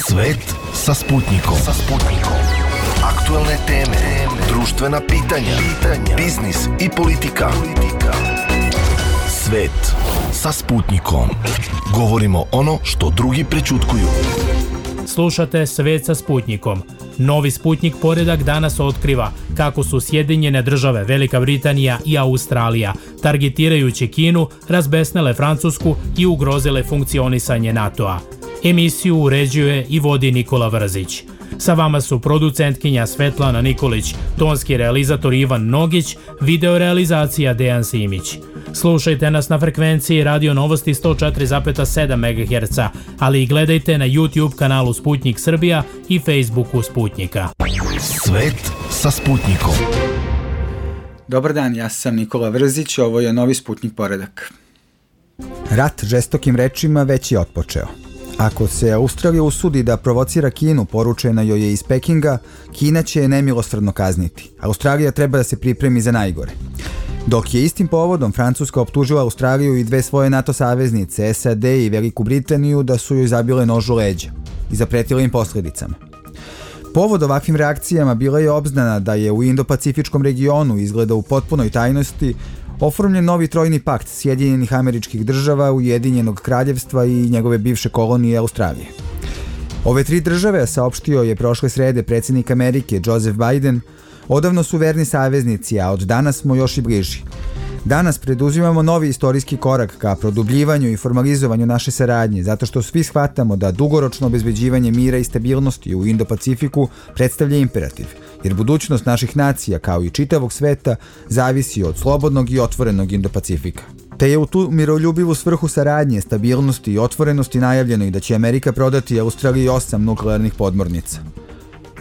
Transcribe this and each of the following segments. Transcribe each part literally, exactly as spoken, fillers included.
Svet sa Sputnikom. Sa Sputnikom. Aktuelne teme, društvena pitanja, pitanja, biznis i politika. politika. Svet sa Sputnikom. Govorimo ono što drugi prećutkuju. Slušate Svet sa Sputnikom. Novi Sputnik poredak danas otkriva kako su Sjedinjene države, Velika Britanija i Australija, targetirajući Kinu, razbesnele Francusku i ugrozile funkcionisanje NATO-a. Emisiju uređuje i vodi Nikola Vrzić. Sa vama su producentkinja Svetlana Nikolić, tonski realizator Ivan Nogić, videorealizacija Dejan Simić. Slušajte nas na frekvenciji Radio Novosti sto četiri zarez sedam megaherca, ali i gledajte na YouTube kanalu Sputnik Srbija i Facebooku Sputnika. Svet sa Sputnikom. Dobar dan, ja sam Nikola Vrzić, ovo je novi Sputnik poredak. Rat žestokim rečima već je otpočeo. Ako se Australija usudi da provocira Kinu, poručeno joj je iz Pekinga, Kina će je nemilosrdno kazniti. Australija treba da se pripremi za najgore. Dok je istim povodom Francuska optužila Australiju i dve svoje NATO saveznice, S A D i Veliku Britaniju, da su joj zabile nož u leđa i zapretile im posledicama. Povod ovakvim reakcijama bila je obznana da je u Indo-Pacifičkom regionu, izgleda u potpunoj tajnosti, oformljen novi trojni pakt Sjedinjenih Američkih Država, Ujedinjenog Kraljevstva i njegove bivše kolonije Australije. Ove tri države, saopštio je prošle srede predsjednik Amerike Joseph Biden, odavno su verni saveznici, a od danas smo još i bliži. Danas preduzimamo novi istorijski korak ka produbljivanju i formalizovanju naše saradnje, zato što svi shvatamo da dugoročno obezbeđivanje mira i stabilnosti u Indo-Pacifiku predstavlja imperativ, jer budućnost naših nacija, kao i čitavog sveta, zavisi od slobodnog i otvorenog Indo-Pacifika. Te je u tu miroljubivu svrhu saradnje, stabilnosti i otvorenosti najavljeno i da će Amerika prodati Australiji osam nuklearnih podmornica.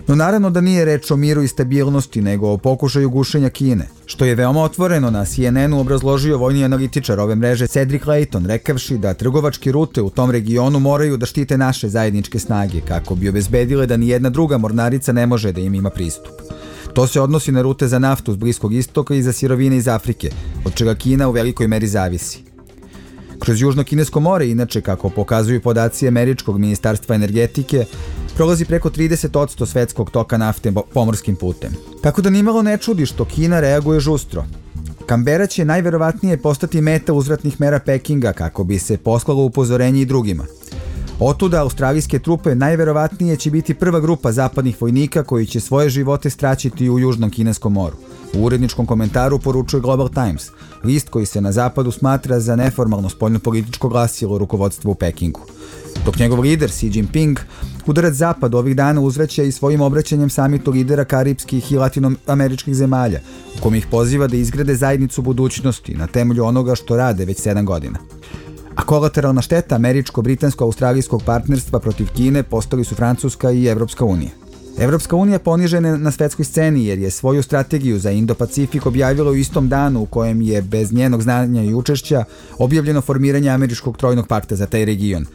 No naravno da nije reč o miru i stabilnosti, nego o pokušaju gušenja Kine, što je veoma otvoreno na C N N-u obrazložio vojni analitičar ove mreže Cedric Layton, rekavši da trgovačke rute u tom regionu moraju da štite naše zajedničke snage, kako bi obezbedile da ni jedna druga mornarica ne može da im ima pristup. To se odnosi na rute za naftu s Bliskog istoka i za sirovine iz Afrike, od čega Kina u velikoj meri zavisi. Kroz Južno kinesko more, inače, kako pokazuju podaci Američkog ministarstva energetike, prolazi preko trideset posto svetskog toka nafte pomorskim putem. Tako da nimalo ne čudi što Kina reaguje žustro. Kambera će najverovatnije postati meta uzvratnih mera Pekinga kako bi se poslalo upozorenje i drugima. Otuda australijske trupe najverovatnije će biti prva grupa zapadnih vojnika koji će svoje živote straćiti u Južnom kineskom moru. U uredničkom komentaru poručuje Global Times, list koji se na zapadu smatra za neformalno spoljnopolitičko glasilo rukovodstva u Pekingu. Dok njegov lider Xi Jinping udarac zapad ovih dana uzvraća i svojim obraćanjem samitu lidera karipskih i latinoameričkih zemalja, u kom ih poziva da izgrade zajednicu budućnosti na temelju onoga što rade već sedam godina. A kolateralna šteta američko-britansko-australijskog partnerstva protiv Kine postali su Francuska i Evropska unija. Evropska unija ponižena na svetskoj sceni jer je svoju strategiju za Indo-Pacifik objavila u istom danu u kojem je bez njenog znanja i učešća objavljeno formiranje američkog trojnog pakta za taj region,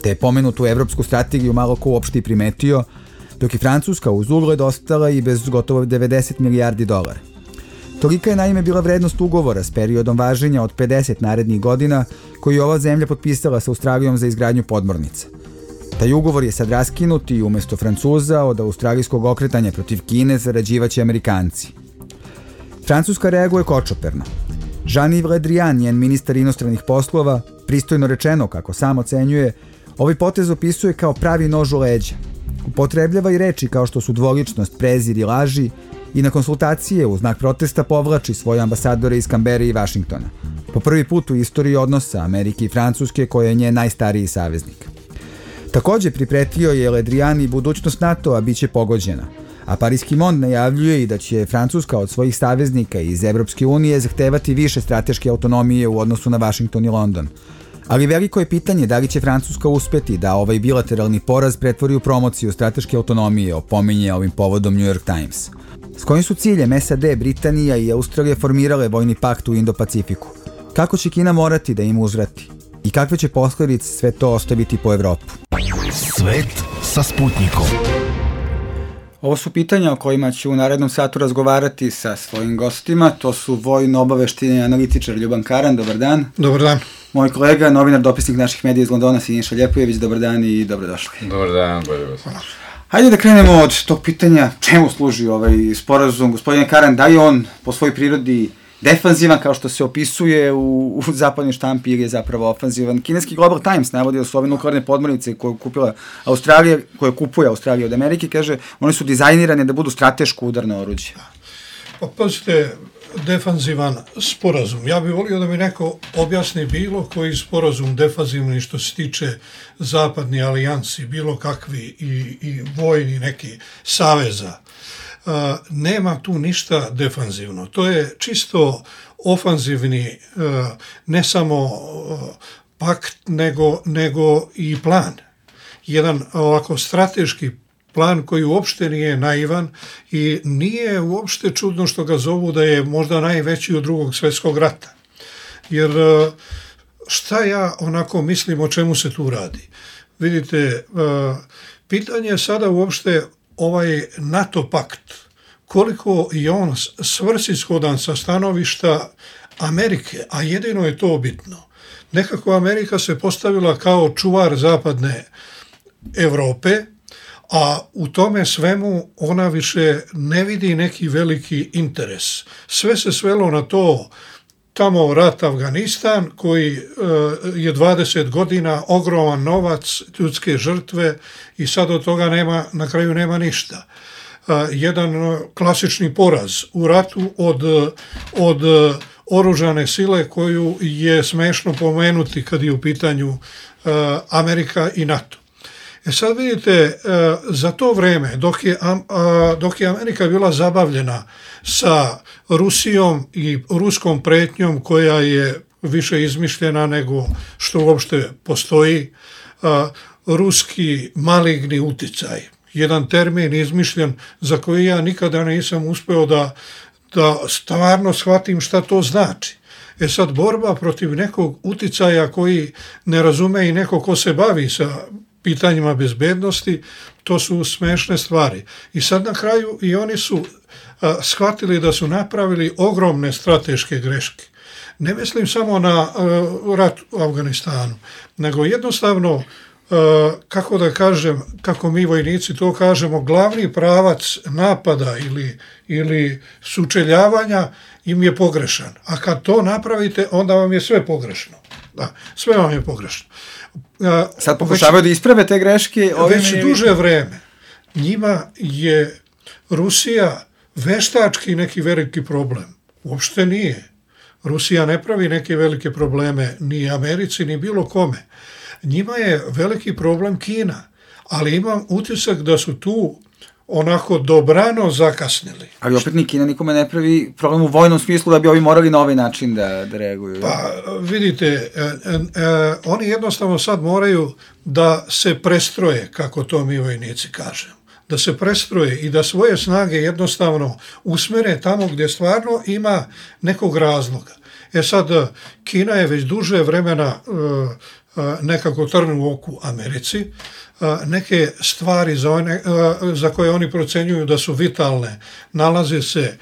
te je pomenutu evropsku strategiju malo ko uopšte i primetio, dok je Francuska uz ugled ostala i bez gotovo devedeset milijardi dolara. Tolika je naime bila vrednost ugovora s periodom važenja od pedeset narednih godina koji je ova zemlja potpisala sa Australijom za izgradnju podmornica. Taj ugovor je sad raskinut i umjesto Francuza od australijskog okretanja protiv Kine zarađivaće Amerikanci. Francuska reaguje kočoperno. Jean-Yves Le Drian, njen ministar inostranih poslova, pristojno rečeno, kako sam ocenjuje, ovaj potez opisuje kao pravi nož u leđa. Upotrebljava i reči kao što su dvoličnost, prezir i laži i na konsultacije u znak protesta povlači svoje ambasadore iz Kambere i Vašingtona. Po prvi put u istoriji odnosa Amerike i Francuske, koja je njen najstariji saveznik. Također pripretio je Le Drian i budućnost NATO-a bit će pogođena, a Pariski Mond najavljuje i da će Francuska od svojih saveznika iz Evropske unije zahtevati više strateške autonomije u odnosu na Vašington i London. Ali veliko je pitanje da li će Francuska uspeti da ovaj bilateralni poraz pretvori u promociju strateške autonomije, opominje ovim povodom New York Times. S kojim su ciljem S A D, Britanija i Australija formirale vojni pakt u Indo-Pacifiku? Kako će Kina morati da im uzvrati? I kakve će posledice sve to ostaviti po Evropu? Svet sa Sputnikom. Ovo su pitanja o kojima ću u narednom satu razgovarati sa svojim gostima. To su vojno-obaveštajni analitičar Ljuban Karan. Dobar dan. Dobar dan. Moj kolega, novinar, dopisnik naših medija iz Londona, Siniša Ljepojević, dobar dan i dobrodošli. Dobar dan, bolje vas. Hajde da krenemo od tog pitanja čemu služi ovaj sporazum. Gospodine Karan, da je on po svojoj prirodi defanzivan kao što se opisuje u, u zapadnoj štampi ili je zapravo ofanzivan? Kineski Global Times navodi da su ove nuklearne podmornice koje je kupila Australija, koje kupuje Australija od Amerike, kaže, one su dizajnirane da budu strateško udarno oruđe. Pa pazite, defanzivan sporazum. Ja bih volio da mi neko objasni bilo koji sporazum defanzivni što se tiče zapadni alijansi, bilo kakvi i, i vojni neki saveza. Uh, nema tu ništa defanzivno. To je čisto ofanzivni, uh, ne samo uh, pakt, nego, nego i plan. Jedan ovako strateški plan koji uopšte nije naivan i nije uopšte čudno što ga zovu da je možda najveći od drugog svjetskog rata. Jer šta ja onako mislim o čemu se tu radi? Vidite, pitanje je sada uopšte ovaj NATO pakt, koliko je on svrsishodan sa stanovišta Amerike, a jedino je to bitno. Nekako Amerika se postavila kao čuvar zapadne Evrope, a u tome svemu ona više ne vidi neki veliki interes. Sve se svelo na to, tamo rat Afganistan, koji je dvadeset godina, ogroman novac, ljudske žrtve i sad od toga nema, na kraju nema ništa. Jedan klasični poraz u ratu od, od oružane sile koju je smešno pomenuti kad je u pitanju Amerika i NATO. E sad vidite, za to vreme, dok je, dok je Amerika bila zabavljena sa Rusijom i ruskom pretnjom koja je više izmišljena nego što uopšte postoji, ruski maligni uticaj, jedan termin izmišljen za koji ja nikada nisam uspeo da, da stvarno shvatim šta to znači. E sad, borba protiv nekog uticaja koji ne razume i neko ko se bavi sa pitanjima bezbednosti, to su smešne stvari. I sad na kraju i oni su a, shvatili da su napravili ogromne strateške greške. Ne mislim samo na a, rat u Afganistanu, nego jednostavno, a, kako da kažem, kako mi vojnici to kažemo, glavni pravac napada ili, ili sučeljavanja im je pogrešan. A kad to napravite, onda vam je sve pogrešno. Da, sve vam je pogrešno. Sad pokušavaju da isprave te greške. Već je... duže vreme. Njima je Rusija veštački neki veliki problem. Uopšte nije. Rusija ne pravi neke velike probleme ni Americi, ni bilo kome. Njima je veliki problem Kina. Ali imam utisak da su tu onako dobrano zakasnili. Ali opet ni Kina nikome ne pravi problem u vojnom smislu da bi ovi morali na ovaj način da, da reaguju. Pa vidite, e, e, oni jednostavno sad moraju da se prestroje, kako to mi vojnici kažemo. Da se prestroje i da svoje snage jednostavno usmere tamo gdje stvarno ima nekog razloga. E sad, Kina je već duže vremena e, nekako trn u oku Americi. Neke stvari za, one, za koje oni procenjuju da su vitalne nalaze se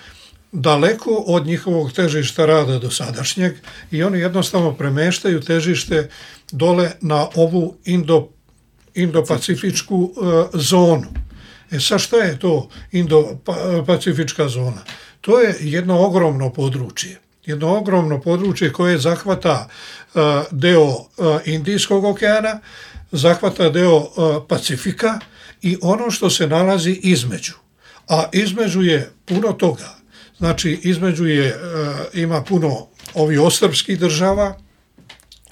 daleko od njihovog težišta rada do sadašnjeg i oni jednostavno premeštaju težište dole na ovu Indo, Indo-Pacifičku uh, zonu. E sad šta je to Indo-Pacifička zona? To je jedno ogromno područje. Jedno ogromno područje koje zahvata uh, deo uh, Indijskog okeana, zahvata deo uh, Pacifika i ono što se nalazi između. A između je puno toga. Znači, između je, uh, ima puno ovih ostrvskih država.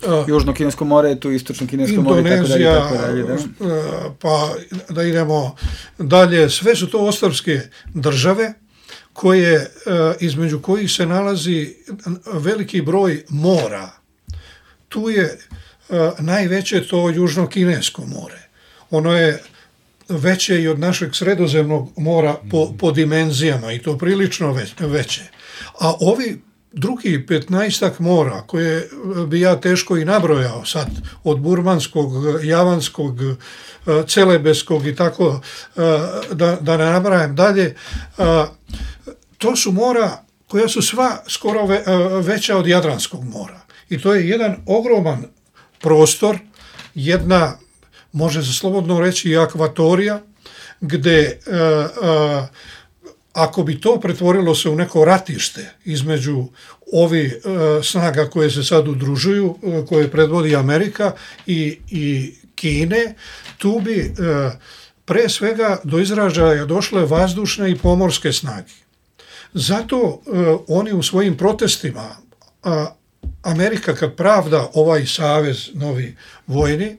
Uh, Južno Kinesko more, tu Istočno Kinesko more, Indonezija, tako dalje, tako dalje, da? Uh, pa da idemo dalje. Sve su to ostrvske države koje, uh, između kojih se nalazi veliki broj mora. Tu je Uh, najveće to Južno-Kinesko more. Ono je veće i od našeg Sredozemnog mora po, po dimenzijama i to prilično već, veće. A ovi drugi petnaestak mora koje bi ja teško i nabrojao sad, od Burmanskog, Javanskog, Celebeskog i tako, uh, da, da ne nabrajam dalje, uh, to su mora koja su sva skoro ve, uh, veća od Jadranskog mora. I to je jedan ogroman prostor, jedna, može se slobodno reći, i akvatorija, gde uh, uh, ako bi to pretvorilo se u neko ratište između ovi uh, snaga koje se sad udružuju, uh, koje predvodi Amerika i, i Kine, tu bi uh, pre svega do izražaja došle vazdušne i pomorske snage. Zato uh, oni u svojim protestima, uh, Amerika kad pravda ovaj savez novi vojni,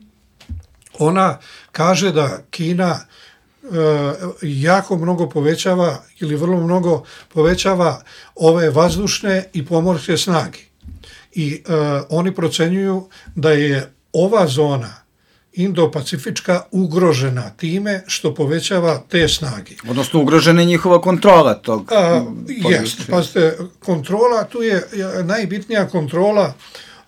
ona kaže da Kina jako mnogo povećava ili vrlo mnogo povećava ove vazdušne i pomorske snage. I uh, oni procenjuju da je ova zona Indo-Pacifička ugrožena time što povećava te snage. Odnosno ugrožena je njihova kontrola tog. Jeste, pazite, kontrola, tu je najbitnija kontrola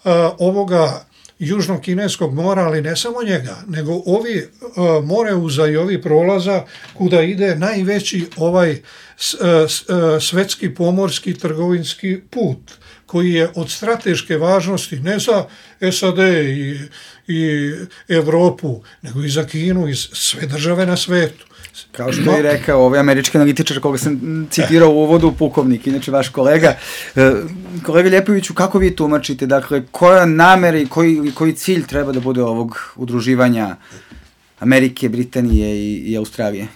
uh, ovoga Južnog kineskog mora, ali ne samo njega, nego ovi uh, moreuza i ovi prolaza kuda ide najveći ovaj s, s, svetski pomorski trgovinski put, koji je od strateške važnosti ne za S A D i, i Evropu, nego i za Kinu i sve države na svetu. Kao što je rekao ovaj američki analitičar koga sam citirao u uvodu, pukovnik, inače vaš kolega. Kolega Ljepoviću, kako vi tumačite, dakle, koja namera i koji, koji cilj treba da bude ovog udruživanja Amerike, Britanije i, i Australije?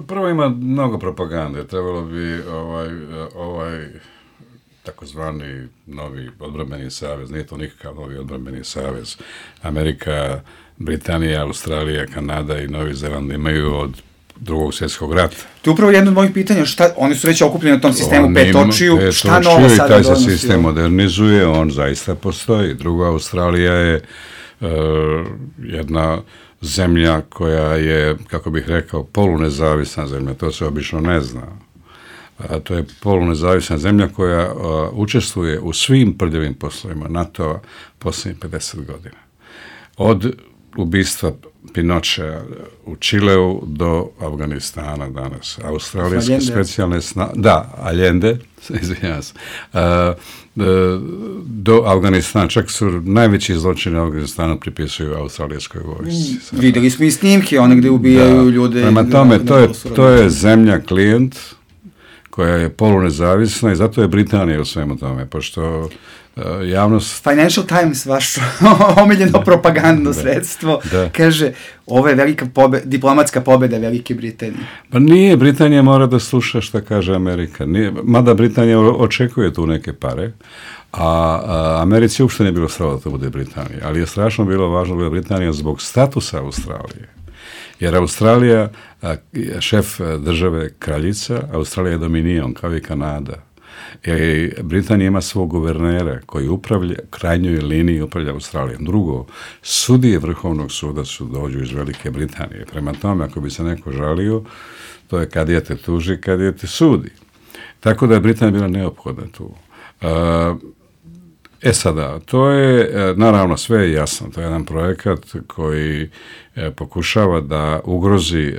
Prvo ima mnogo propagande, trebalo bi ovaj, ovaj takozvani novi odbrambeni savez, nije to nikakav novi odbrambeni savez. Amerika, Britanija, Australija, Kanada i Novi Zeland imaju od drugog svjetskog rata. To je upravo jedno od mojih pitanja, šta, oni su već okupljeni na tom sistemu petočiju, pet šta novo sada donosi? Taj se sistem modernizuje, on zaista postoji. Druga, Australija je uh, jedna zemlja koja je, kako bih rekao, polunezavisna zemlja, to se obično ne zna. A to je polunezavisna zemlja koja uh, učestvuje u svim prljavim poslovima NATO-a posljednjih pedeset godina. Od ubistva Pinochea u Čileu do Afganistana danas. Australijske specijalne snage, da, Allende, izvinjam se, uh, do Afganistana, čak su najveći zločine Afganistana pripisuju australijskoj vojsci. Mm, videli smo i snimke, one gde ubijaju da, ljude. Prema tome, to je, to je zemlja klijent koja je polunezavisna i zato je Britanija u svemu tome, pošto uh, javnost... Financial Times, vaš omiljeno propagandno sredstvo, da. Kaže, ovo je velika pobe, diplomatska pobjeda Velike Britanije. Pa nije, Britanija mora da sluša šta kaže Amerika. Nije, mada Britanija očekuje tu neke pare, a, a Americi uopšte nije bilo strava da to bude Britanija, ali je strašno bilo važno da bude Britanija zbog statusa Australije. Jer Australija, šef države kraljica, Australija je dominion, kao i Kanada. I Britanija ima svog guvernera koji upravlja, krajnjoj liniji upravlja Australijom. Drugo, sudije Vrhovnog suda su dođu iz Velike Britanije. Prema tome, ako bi se neko žalio, to je kad je te tuži, kad je te sudi. Tako da je Britanija bila neophodna tu. E sada, to je, naravno, sve je jasno. To je jedan projekat koji pokušava da ugrozi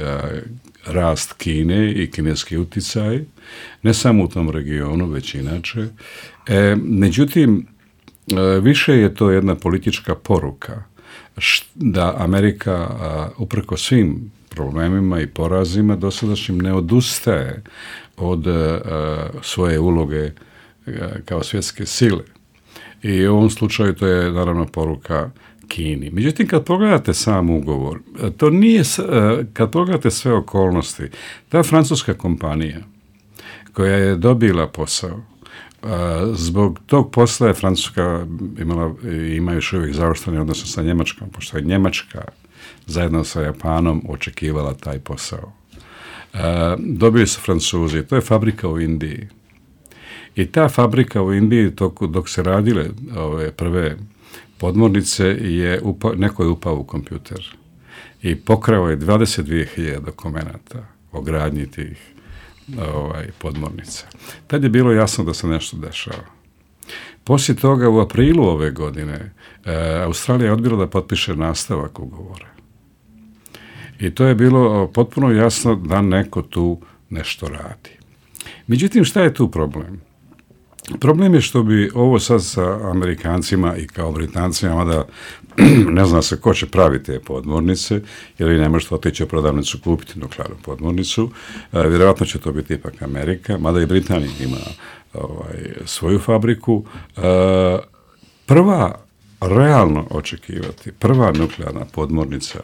rast Kine i kineski uticaj, ne samo u tom regionu, već inače. E, međutim, više je to jedna politička poruka da Amerika, uprko svim problemima i porazima dosadašnjim, ne odustaje od svoje uloge kao svjetske sile. I u ovom slučaju to je naravno poruka Kini. Međutim, kad pogledate sam ugovor, to nije, kad pogledate sve okolnosti, ta francuska kompanija koja je dobila posao, zbog tog posla je Francuska imala, ima još uvijek završtene odnose sa Njemačkom, pošto je Njemačka zajedno sa Japanom očekivala taj posao. Dobili su Francuzi, to je fabrika u Indiji. I ta fabrika u Indiji, dok, dok se radile ove prve podmornice, je upa, neko je upao u kompjuter i pokrao je dvadeset dvije hiljade dokumenata o gradnji tih ovaj, podmornica. Tad je bilo jasno da se nešto dešava. Poslije toga, u aprilu ove godine, e, Australija je odbila da potpiše nastavak ugovora. I to je bilo potpuno jasno da neko tu nešto radi. Međutim, šta je tu problem? Problem je što bi ovo sad sa Amerikancima i kao Britancima, mada ne zna se ko će praviti te podmornice, jer vi ne možete otići u prodavnicu kupiti nuklearnu podmornicu. E, vjerojatno će to biti ipak Amerika, mada i Britanija ima ovaj, svoju fabriku. E, prva, realno očekivati, prva nuklearna podmornica,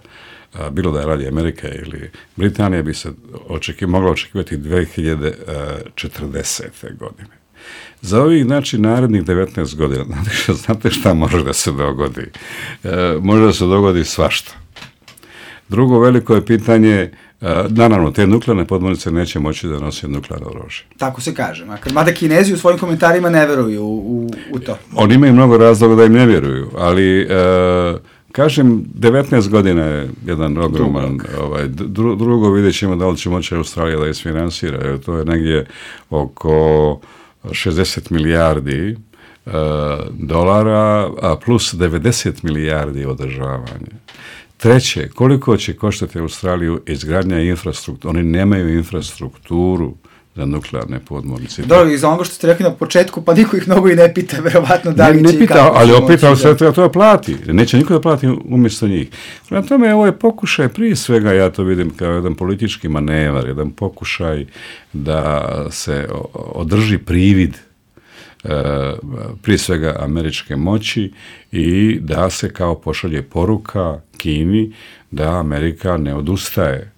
a, bilo da je radi Amerika ili Britanija, bi se očekiv, mogla očekivati dvije hiljade četrdesete. godine. Za ovih, znači, narednih devetnaest godina, znate šta može da se dogodi? E, može da se dogodi svašta. Drugo veliko je pitanje, e, naravno, te nuklearne podmornice neće moći da nose nuklearno oružje. Tako se kaže. Mada Kinezi u svojim komentarima ne veruju u, u to. Oni imaju mnogo razloga da im ne vjeruju, ali... E, kažem, devetnaest godina je jedan ogroman, ovaj, dru, drugo vidjet ćemo da li će moći Australija da isfinansira, jer to je negdje oko šezdeset milijardi e, dolara, a plus devedeset milijardi održavanja. Treće, koliko će koštati Australiju izgradnja infrastrukture? Oni nemaju infrastrukturu za nuklearne podmornice. Dobro, iz onoga što ste rekli na početku, pa niko ih mnogo i ne pita, verovatno da li ne, će ne pita, i kako. Ali opet Australija to plati. Neće niko da plati umjesto njih. Prema tome, ovo je pokušaj, prije svega ja to vidim kao jedan politički manevar, jedan pokušaj da se održi privid prije svega američke moći i da se kao pošalje poruka Kini da Amerika ne odustaje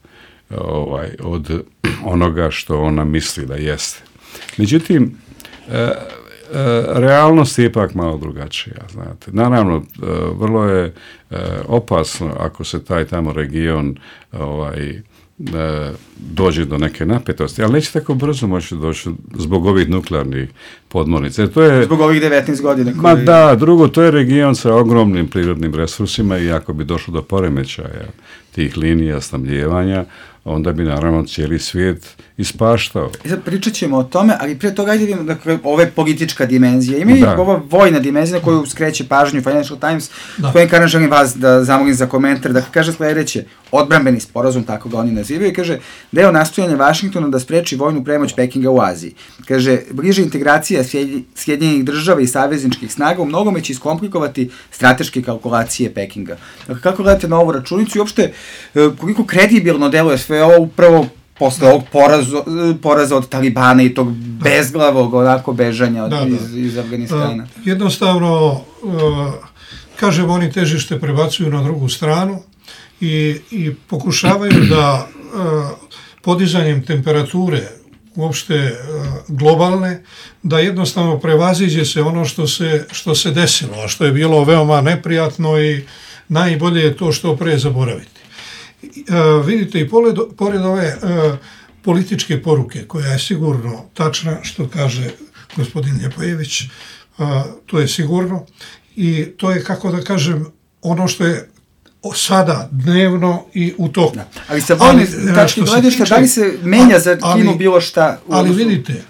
ovaj, od onoga što ona misli da jeste. Međutim, e, e, realnost je ipak malo drugačija, znate. Naravno, e, vrlo je e, opasno ako se taj tamo region ovaj, e, dođe do neke napetosti, ali neće tako brzo moći doći zbog ovih nuklearnih podmornica. To je, zbog ovih devetnaest godina. Koji... Ma da, drugo, to je region sa ogromnim prirodnim resursima i ako bi došlo do poremećaja tih linija snabdijevanja, onda bi naravno cijeli svijet ispaštao. I sad pričat ćemo o tome, ali prije toga ajde vidimo, dakle, ova je politička dimenzija. Ima i ova vojna dimenzija na koju skreće pažnju Financial Times. Gospodin Karan, želim vas da zamolim za komentar, da kaže sljedeće, odbrambeni sporazum, tako ga oni nazivaju, kaže, deo nastojanja Vašingtona da spreči vojnu premoć Pekinga u Aziji. Kaže, bliže integracija Sjedinjenih država i savezničkih snaga u mnogome će iskomplikovati strateške kalkulacije Pekinga. Dakle, kako gledate na ovu računicu i uopšte koliko kredibilno deluje sve ovo upravo posle ovog poraza, poraza od Talibana i tog bezglavog onako bežanja od, da, da. Iz, iz Afganistana? Uh, jednostavno, uh, kažem, oni težište prebacuju na drugu stranu i, i pokušavaju da uh, podizanjem temperature uopšte uh, globalne, da jednostavno prevaziđe se ono što se, što se desilo, a što je bilo veoma neprijatno i najbolje je to što pre zaboraviti. Uh, vidite, i pored, pored ove uh, političke poruke, koja je sigurno tačna, što kaže gospodin Ljepojević, uh, to je sigurno, i to je, kako da kažem, ono što je sada dnevno i u toku. Da. Ali sa vojne tačke gledišta, da li se menja za Kinu ali, bilo šta? Ali vidite,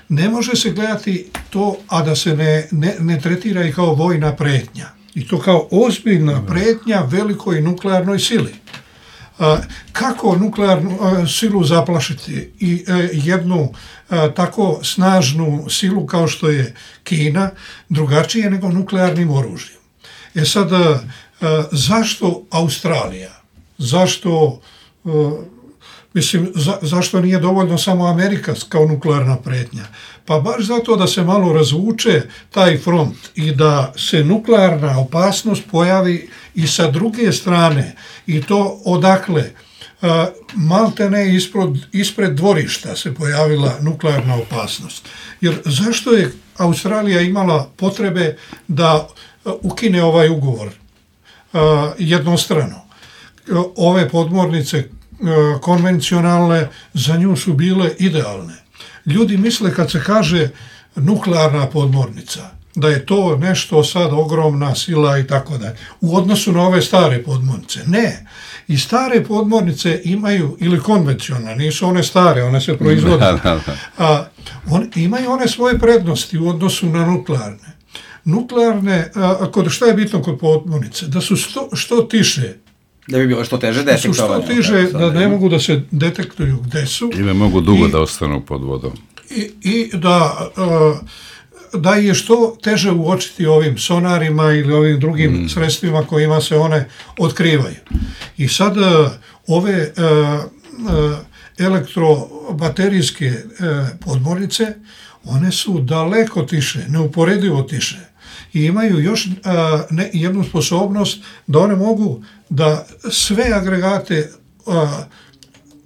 ne može se gledati to, a da se ne, ne, ne tretira i kao vojna pretnja. I to kao ozbiljna pretnja velikoj nuklearnoj sili. Uh, kako nuklearnu uh, silu zaplašiti i uh, jednu uh, tako snažnu silu kao što je Kina, drugačije nego nuklearnim oružjem. E sad, uh, uh, zašto Australija? Zašto, uh, mislim, za, zašto nije dovoljno samo Amerika kao nuklearna pretnja? Pa baš zato da se malo razvuče taj front i da se nuklearna opasnost pojavi i sa druge strane, i to odakle, uh, malte ne ispred, ispred dvorišta se pojavila nuklearna opasnost. Jer zašto je Australija imala potrebe da uh, ukine ovaj ugovor uh, jednostrano? Uh, ove podmornice uh, konvencionalne za nju su bile idealne. Ljudi misle kad se kaže nuklearna podmornica, da je to nešto sad ogromna sila i tako dalje. U odnosu na ove stare podmornice. Ne. I stare podmornice imaju, ili konvencionalne, nisu one stare, one se proizvode. Da, da, da. A, on, imaju one svoje prednosti u odnosu na nuklearne. Nuklearne, a, kod, šta je bitno kod podmornice? Da su sto, što tiše. Da bi bilo što teže detektovane. Da su što tiže, da ne mogu da se detektuju gde su. I ne mogu dugo I, da ostanu pod vodom. I, i da... A, da je što teže uočiti ovim sonarima ili ovim drugim mm. sredstvima kojima se one otkrivaju. I sad ove elektrobaterijske podmornice, one su daleko tiše, neuporedivo tiše i imaju još ne, jednu sposobnost da one mogu da sve agregate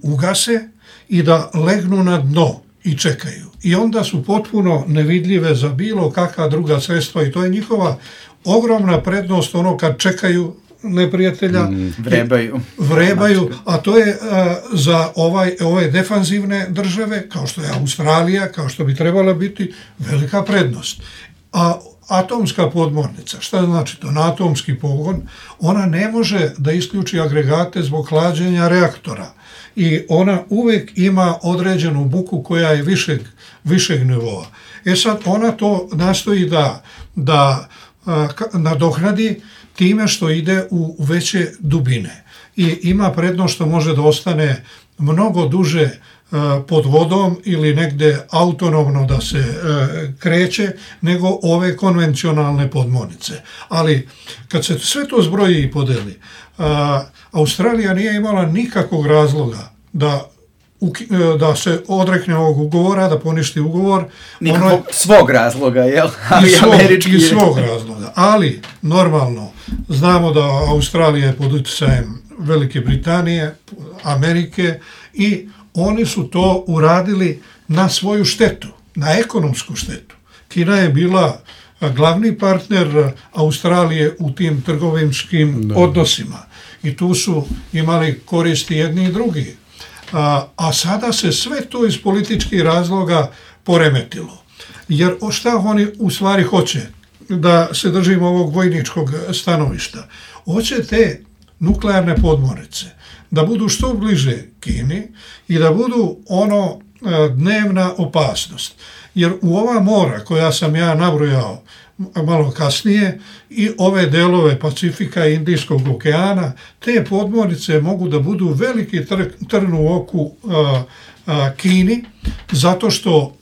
ugase i da legnu na dno i čekaju. I onda su potpuno nevidljive za bilo kakva druga sredstva i to je njihova ogromna prednost, ono kad čekaju neprijatelja, mm, vrebaju. vrebaju, a to je a, za ovaj, ove defanzivne države, kao što je Australija, kao što bi trebala biti, velika prednost. A atomska podmornica, šta znači to? Na atomski pogon, ona ne može da isključi agregate zbog hlađenja reaktora i ona uvijek ima određenu buku koja je višeg, višeg nivoa. E sad, ona to nastoji da, da a, nadoknadi time što ide u veće dubine i ima prednost što može da ostane mnogo duže pod vodom ili negde autonomno da se kreće nego ove konvencionalne podmornice. Ali kad se sve to zbroji i podeli, Australija nije imala nikakvog razloga da da se odrekne ovog ugovora, da poništi ugovor. Nikakvog ono je, svog razloga, jel? I svog, i svog razloga. Ali, normalno, znamo da Australija je pod utjecajem Velike Britanije, Amerike i oni su to uradili na svoju štetu, na ekonomsku štetu. Kina je bila glavni partner Australije u tim trgovinskim da. odnosima i tu su imali koristi jedni i drugi. A, a sada se sve to iz političkih razloga poremetilo. Jer šta oni u stvari hoće? Da se držimo ovog vojničkog stanovišta. Hoće te nuklearne podmornice da budu što bliže Kini i da budu ono dnevna opasnost. Jer u ova mora koja sam ja nabrojao malo kasnije i ove delove Pacifika i Indijskog okeana, te podmornice mogu da budu veliki tr, trn u oku a, a, Kini, zato što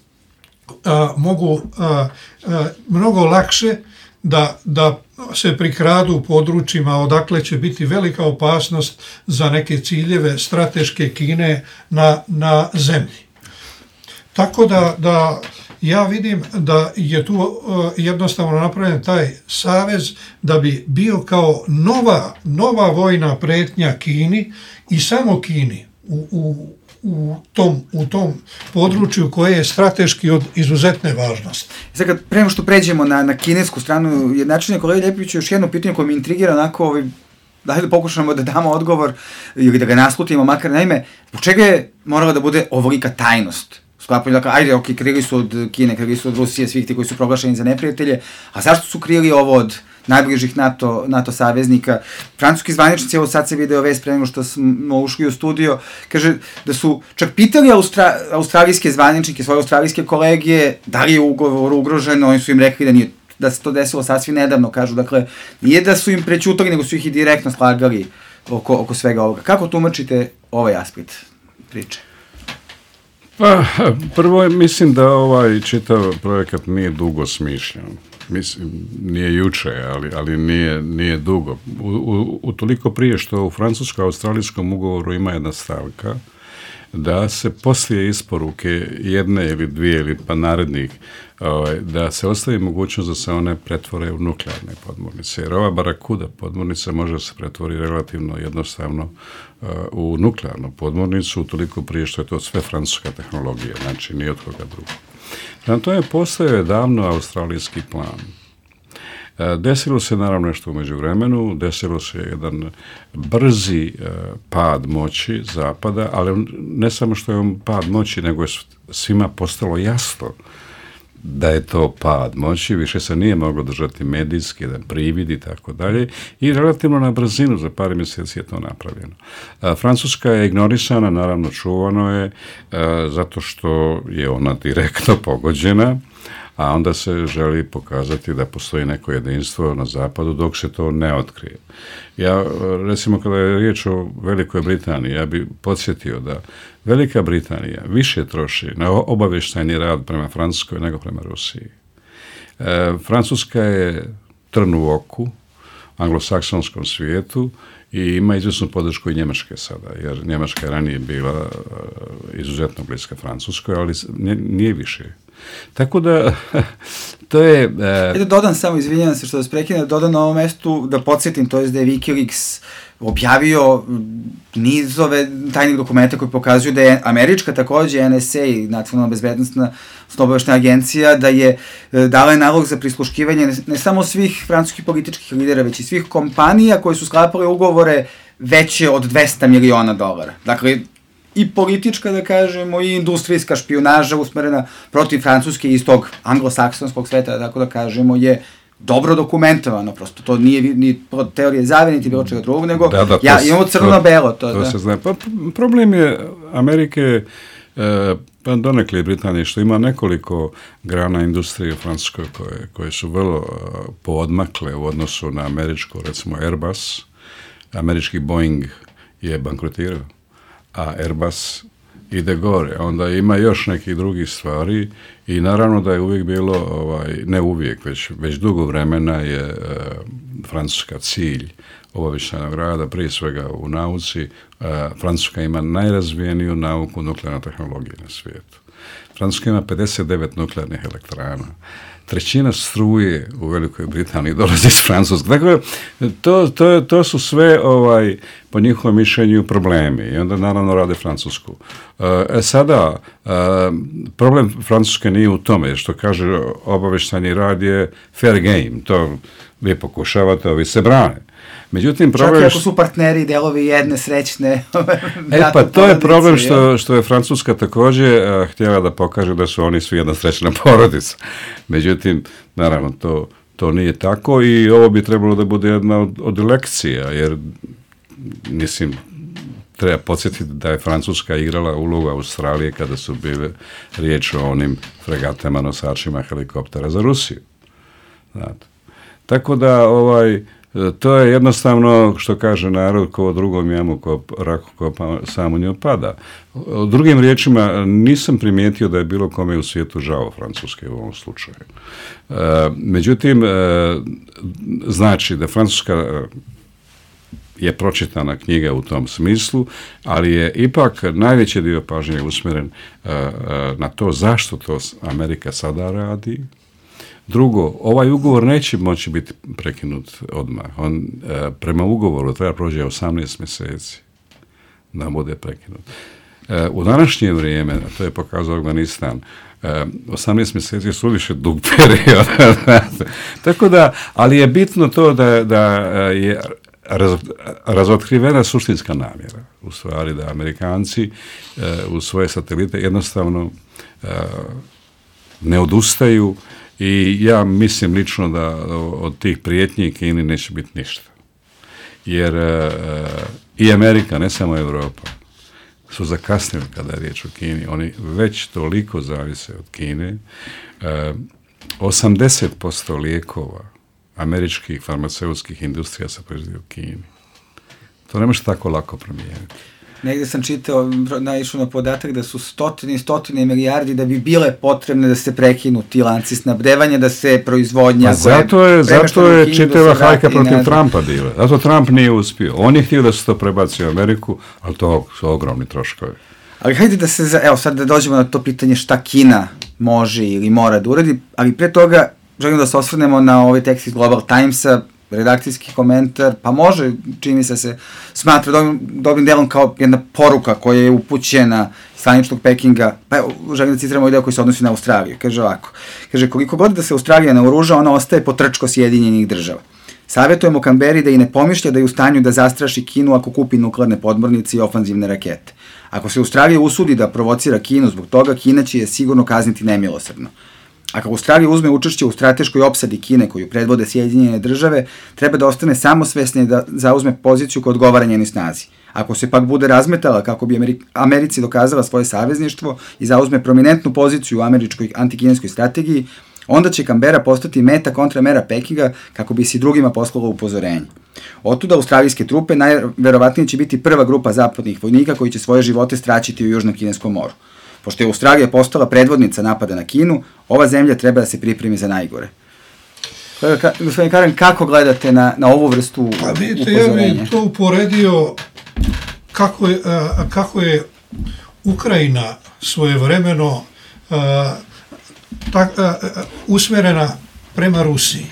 a, mogu a, a, mnogo lakše da, da se prikradu u područjima odakle će biti velika opasnost za neke ciljeve strateške Kine na, na zemlji. Tako da, da ja vidim da je tu uh, jednostavno napravljen taj savez da bi bio kao nova, nova vojna pretnja Kini i samo Kini u, u, u, tom, u tom području koje je strateški od izuzetne važnosti. Sad kad prema što pređemo na, na kinesku stranu, jednačenje kolega Ljepoviću, još jedno pitanje koje mi intrigira onako, ovaj, da pokušamo da damo odgovor ili da ga naslutimo, makar naime, po čega je morala da bude ovolika tajnost? Sklapaju, dakle, ajde, ok, krili su od Kine, krili su od Rusije, svih ti koji su proglašeni za neprijatelje, a zašto su krili ovo od najbližih NATO, NATO saveznika? Francuski zvaničnici, evo sad se video vest pre nego što smo ušli u studio, kaže da su čak pitali Austra, australijske zvaničnike, svoje australijske kolegije, da li je ugovor ugrožen, oni su im rekli da nije, da se to desilo sasvim nedavno, kažu, dakle, nije da su im prećutali, nego su ih i direktno slagali oko, oko svega ovoga. Kako tumačite ovaj aspekt priče? Pa, prvo mislim da ovaj čitav projekat nije dugo smišljen. Mislim, nije juče, ali, ali nije, nije dugo. U, u, u toliko prije što u francusko-australijskom ugovoru ima jedna stavka da se poslije isporuke jedne ili dvije ili pa narednih, ovaj, da se ostavi mogućnost da se one pretvore u nuklearne podmornice. Jer ova Barakuda podmornica može se pretvori relativno jednostavno uh, u nuklearnu podmornicu, toliko prije što je to sve francuska tehnologija, znači nije od koga drugo. Na to je postojao davno australijski plan. Desilo se naravno nešto u međuvremenu, desilo se jedan brzi uh, pad moći Zapada, ali ne samo što je on pad moći, nego je svima postalo jasno da je to pad moći, više se nije moglo držati medijski, jedan privid i tako dalje, i relativno na brzinu, za par mjeseci je to napravljeno. A, Francuska je ignorisana, naravno čuvano je, a, zato što je ona direktno pogođena, a onda se želi pokazati da postoji neko jedinstvo na zapadu dok se to ne otkrije. Ja, recimo, kada je riječ o Velikoj Britaniji, ja bih podsjetio da Velika Britanija više troši na obavještajni rad prema Francuskoj nego prema Rusiji. E, Francuska je trn u oku anglosaksonskom svijetu i ima izvjesnu podršku i Njemačke sada, jer Njemačka je ranije bila uh, izuzetno bliska Francuskoj, ali nije više. Tako da, to je... Uh... Da dodam samo, izvinjam se što vas prekinem, da dodam na ovom mestu, da podsjetim, to je da je Wikileaks objavio nizove tajnih dokumenta koji pokazuju da je američka takođe N S A, Nacionalna bezbednosna obaveštajna agencija, da je dala nalog za prisluškivanje ne, ne samo svih francuskih političkih lidera, već i svih kompanija koje su sklapale ugovore veće od dvesta miliona dolara. Dakle, i politička, da kažemo, i industrijska špijunaža usmerena protiv Francuske iz tog anglosaksonskog sveta, tako da kažemo, je dobro dokumentovano, prosto to nije ni teorije zavere, niti bilo čega drugog, nego da, da, ja imamo crno-belo. To, to da. se zna. Pa, problem je Amerike, e, pa donekle Britanije, što ima nekoliko grana industrije u Francuskoj koje, koje su vrlo poodmakle u odnosu na američko, recimo Airbus. Američki Boeing je bankrotirao, a Airbus ide gore. Onda ima još nekih drugih stvari i naravno da je uvijek bilo, ovaj, ne uvijek, već, već dugo vremena je e, Francuska cilj obavještajnog rada, prije svega u nauci. E, Francuska ima najrazvijeniju nauku nuklearne tehnologije na svijetu. Francuska ima pedeset devet nuklearnih elektrana. Trećina struje u Velikoj Britaniji dolazi iz Francuske. Dakle, to, to, to su sve, ovaj, po njihovom mišljenju, problemi. I onda naravno rade Francusku. E, sada, e, problem Francuske nije u tome, što kaže obavještajni rad je fair game. To vi pokušavate, ovi se brane. Međutim, problem... Čak i ako su partneri delovi jedne srećne... e pa to je problem što, što je Francuska također uh, htjela da pokaže da su oni svi jedna srećna porodica. Međutim, naravno, to, to nije tako i ovo bi trebalo da bude jedna od, od lekcija, jer, mislim, treba podsjetiti da je Francuska igrala ulogu Australije kada su bile riječ o onim fregatama, nosačima helikoptera za Rusiju. Znate. Tako da, ovaj... to je jednostavno, što kaže narod, ko drugom jamu, ko raku, ko pa, samo nju pada. Drugim riječima, nisam primijetio da je bilo kome u svijetu žao Francuske u ovom slučaju. E, međutim, e, znači da Francuska je pročitana knjiga u tom smislu, ali je ipak najveći dio pažnje usmjeren e, e, na to zašto to Amerika sada radi. Drugo, ovaj ugovor neće moći biti prekinut odmah. On e, prema ugovoru treba prođe osamnaest mjeseci da bude prekinut. E, u današnje vrijeme, to je pokazao Afganistan, e, osamnaest mjeseci su više dug period. Tako da, ali je bitno to da, da je raz, razotkrivena suštinska namjera. U stvari da Amerikanci e, u svoje satelite jednostavno e, ne odustaju. I ja mislim lično da od tih prijetnji Kini neće biti ništa. Jer e, i Amerika, ne samo Europa, su zakasnili kada je riječ o Kini. Oni već toliko zavise od Kine. E, osamdeset posto lijekova američkih farmaceutskih industrija se proizvodi u Kini. To ne može tako lako promijeniti. Negde sam čitao, naišao na podatak da su stotine i stotine milijardi da bi bile potrebne da se prekinu ti lanci snabdevanja, da se proizvodnja... Pa zato je, zato je čitava hajka protiv Trumpa bila. Zato Trump nije uspio. On je htio da se to prebaci u Ameriku, ali to su ogromni troškovi. Ali hajde da se, evo sad da dođemo na to pitanje šta Kina može ili mora da uradi, ali pre toga želim da se osvrnemo na ovaj tekst iz Global Timesa, redakcijski komentar, pa može, čini se se smatra dobrim, dobrim delom kao jedna poruka koja je upućena straničnog Pekinga, pa evo, želim da citiramo ovaj deo koji se odnosi na Australiju. Kaže ovako, kaže, koliko god da se Australija naoruža, ona ostaje potrčko Sjedinjenih država. Savjetujemo Kamberi da i ne pomišlja da je u stanju da zastraši Kinu ako kupi nuklearne podmornice i ofanzivne rakete. Ako se Australija usudi da provocira Kinu zbog toga, Kina će je sigurno kazniti nemilosrdno. Ako Australija uzme učešće u strateškoj opsadi Kine koju predvode Sjedinjene države, treba da ostane samosvesna i da zauzme poziciju koja odgovara njenoj snazi. Ako se pak bude razmetala kako bi Americi dokazala svoje savezništvo i zauzme prominentnu poziciju u američkoj antikineskoj strategiji, onda će Kambera postati meta kontramera Pekinga kako bi se drugima poslalo upozorenje. Otuda australijske trupe najverovatnije će biti prva grupa zapadnih vojnika koji će svoje živote straćiti u Južnom Kineskom moru. Pošto je Australija postala predvodnica napada na Kinu, ova zemlja treba da se pripremi za najgore. Gospodin Karen, kako gledate na, na ovu vrstu upozorenja? Pa vidite, ja bih to uporedio kako je, a, kako je Ukrajina svojevremeno a, tak, a, a, usmjerena prema Rusiji.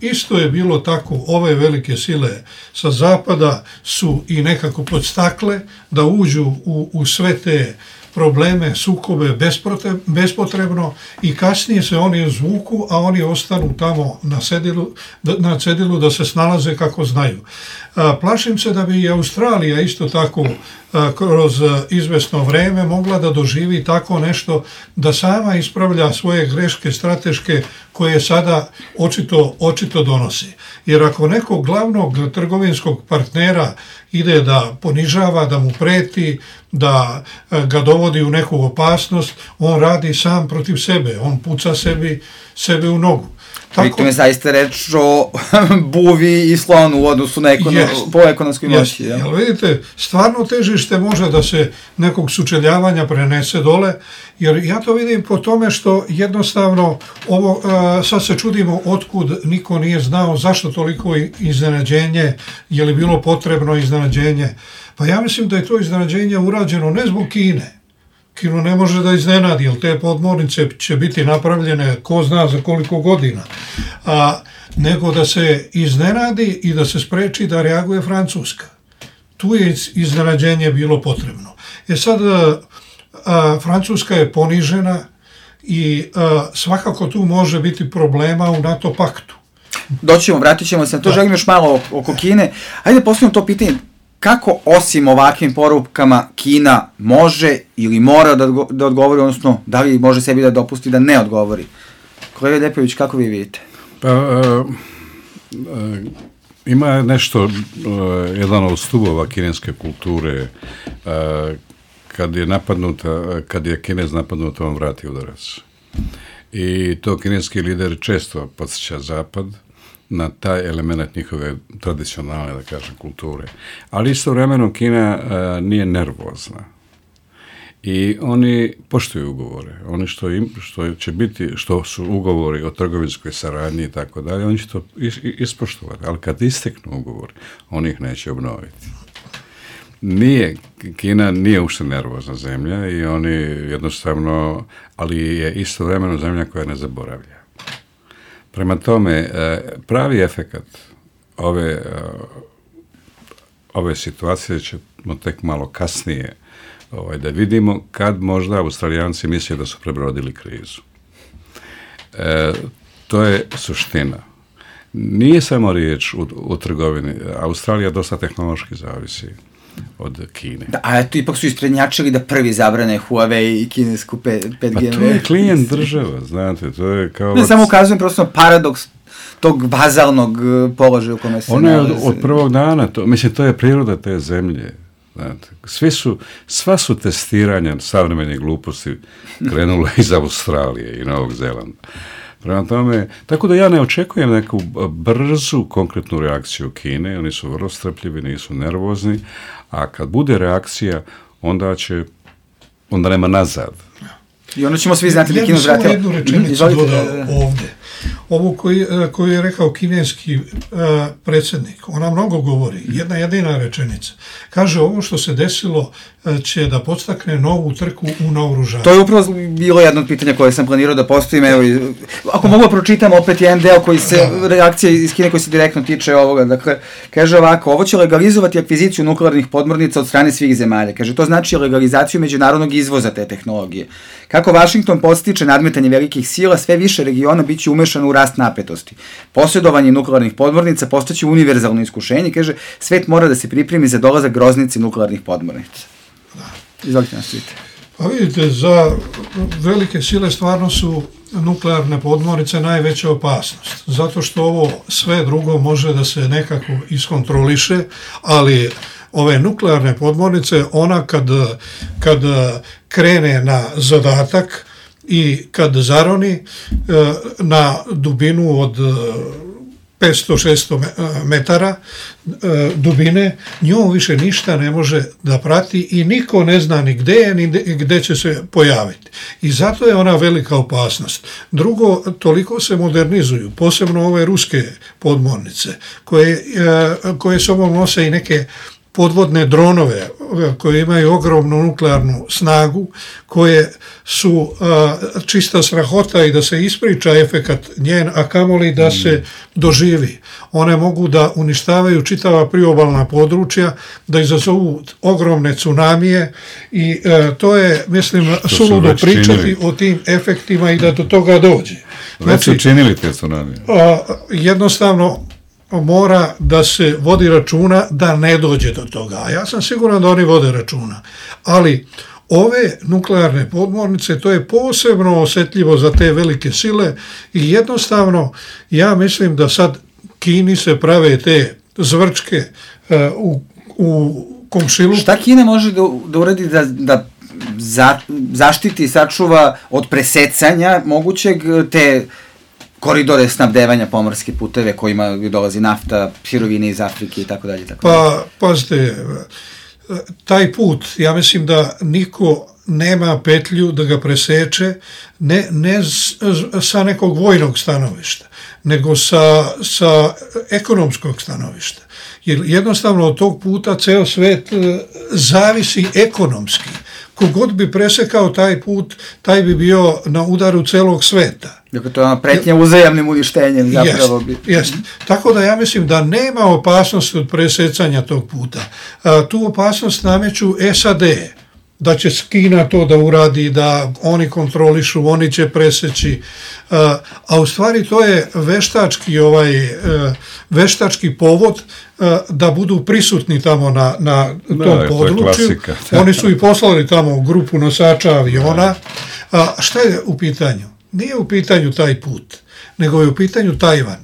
Isto je bilo tako, ove velike sile sa zapada su i nekako podstakle da uđu u, u sve te probleme, sukobe bespotrebno i kasnije se oni izvuku, a oni ostanu tamo na cedilu, na cedilu da se snalaze kako znaju. Plašim se da bi i Australija isto tako kroz izvesno vreme mogla da doživi tako nešto, da sama ispravlja svoje greške strateške koje sada očito, očito donosi. Jer ako nekog glavnog trgovinskog partnera ide da ponižava, da mu preti, da ga dovodi u neku opasnost, on radi sam protiv sebe, on puca sebi, sebe u nogu. Tako je zaista reč o buvi i slonu u odnosu na ekono, yes, po ekonomskoj moći. Yes. Jel vidite, stvarno težište može da se nekog sučeljavanja prenese dole, jer ja to vidim po tome što jednostavno ovo, a, sad se čudimo otkud niko nije znao zašto toliko iznenađenje, je li bilo potrebno iznenađenje. Pa ja mislim da je to iznenađenje urađeno ne zbog Kine. Kinu ne može da iznenadi, jer te podmornice će biti napravljene ko zna za koliko godina, a, nego da se iznenadi i da se spreči da reaguje Francuska. Tu je iznenađenje bilo potrebno. E sad, a, a, Francuska je ponižena i a, svakako tu može biti problema u NATO paktu. Doćemo, vratit ćemo se na to, želim još malo oko Kine. Ajde postavimo to pitanje. Kako osim ovakvim porukama Kina može ili mora da, da odgovori, odnosno da li može sebi da dopusti da ne odgovori? Kolega Ljepović, kako vi vidite? Pa, uh, uh, ima nešto, uh, jedan od stubova kineske kulture, uh, kad je napadnuta, kad je Kinez napadnuta, on vrati udarac. I to kineski lider često podsjeća Zapad na taj element njihove tradicionalne, da kažem, kulture. Ali istovremeno Kina a, nije nervozna. I oni poštuju ugovore. Oni što, im, što će biti, što su ugovori o trgovinskoj saradnji i tako dalje, oni će to is, ispoštovati. Ali kad isteknu ugovori, oni ih neće obnoviti. Nije, Kina nije uopšte nervozna zemlja i oni jednostavno, ali je istovremeno zemlja koja ne zaboravlja. Prema tome, pravi efekat ove, ove situacije ćemo tek malo kasnije ovaj, da vidimo kad možda Australijanci misle da su prebrodili krizu. E, to je suština. Nije samo riječ u, u trgovini. Australija dosta tehnološki zavisi od Kine. Da, a eto, ipak su istrednjačili da prvi zabrane Huawei i kinesku pet G. Pa to je klijent država, znate, to je kao... Ne, samo ukazujem prosto paradoks tog bazalnog položaja u kome se ono je od, od prvog dana, to, mislim, to je priroda te zemlje. Znate, svi su, sva su testiranja savremene gluposti krenula iz Australije i Novog Zelanda. Prema tome, tako da ja ne očekujem neku brzu, konkretnu reakciju Kine, oni su vrlo strpljivi, nisu nervozni, a kad bude reakcija, onda će, onda nema nazad. I onda ćemo svi znati da Kina zvratila. Ja bih samo jednu rečenicu dodao ovde. Ovo koji, koji je rekao kineski uh, predsjednik, ona mnogo govori, jedna jedina rečenica. Kaže, ovo što se desilo uh, će da podstakne novu trku u naoružanju. To je upravo bilo jedno od pitanja koje sam planirao da postavim. Evo, ako mogu pročitam opet jedan deo koji se, da. reakcija iz Kine koji se direktno tiče ovoga. Dakle, kaže ovako, ovo će legalizovati akviziciju nuklearnih podmornica od strane svih zemalja. Kaže, to znači legalizaciju međunarodnog izvoza te tehnologije. Kako Vašington podstiče nadmetanje velikih sila, sve više regiona bit će umešano u rast napetosti. Posjedovanje nuklearnih podmornica postaće univerzalno iskušenje, kaže, svet mora da se pripremi za dolazak groznice nuklearnih podmornica. Izvolite nastavite. Pa vidite, za velike sile stvarno su nuklearne podmornice najveća opasnost, zato što ovo sve drugo može da se nekako iskontroliše, ali ove nuklearne podmornice, ona kad, kad krene na zadatak i kad zaroni na dubinu od petsto šesto metara dubine, njom više ništa ne može da prati i niko ne zna ni gde je, ni gde će se pojaviti. I zato je ona velika opasnost. Drugo, toliko se modernizuju, posebno ove ruske podmornice, koje, koje sobom nose i neke podvodne dronove koje imaju ogromnu nuklearnu snagu, koje su a, čista strahota i da se ispriča efekat njen, a kamoli da se doživi. One mogu da uništavaju čitava priobalna područja, da izazovu ogromne tsunamije i a, to je, mislim, suludo pričati činili. O tim efektima i da do toga dođe. Već su činili te tsunamije. A, jednostavno, mora da se vodi računa da ne dođe do toga. A ja sam siguran da oni vode računa. Ali ove nuklearne podmornice, to je posebno osjetljivo za te velike sile i jednostavno ja mislim da sad Kini se prave te zvrčke uh, u, u komšiluku. Šta Kina može da, da uradi da, da za, zaštiti i sačuva od presecanja mogućeg te koridore snabdevanja, pomorske puteve kojima dolazi nafta, sirovine iz Afrike i tako dalje. Pa, pazite, taj put, ja mislim da niko nema petlju da ga preseče, ne, ne sa nekog vojnog stanovišta, nego sa, sa ekonomskog stanovišta. Jer jednostavno od tog puta ceo svet zavisi ekonomski. Kogod bi presekao taj put, taj bi bio na udaru celog sveta. Dakle, to je ona pretnja uzajamnim uništenjem zapravo. Jest, jest. Tako da ja mislim da nema opasnosti od presecanja tog puta. A, tu opasnost nameću S A D, da će Kina to da uradi, da oni kontrolišu, oni će preseći. A, a u stvari to je veštački, ovaj, veštački povod da budu prisutni tamo na, na tom da, području. Oni su i poslali tamo grupu nosača aviona. A šta je u pitanju? Nije u pitanju taj put, nego je u pitanju Tajvan.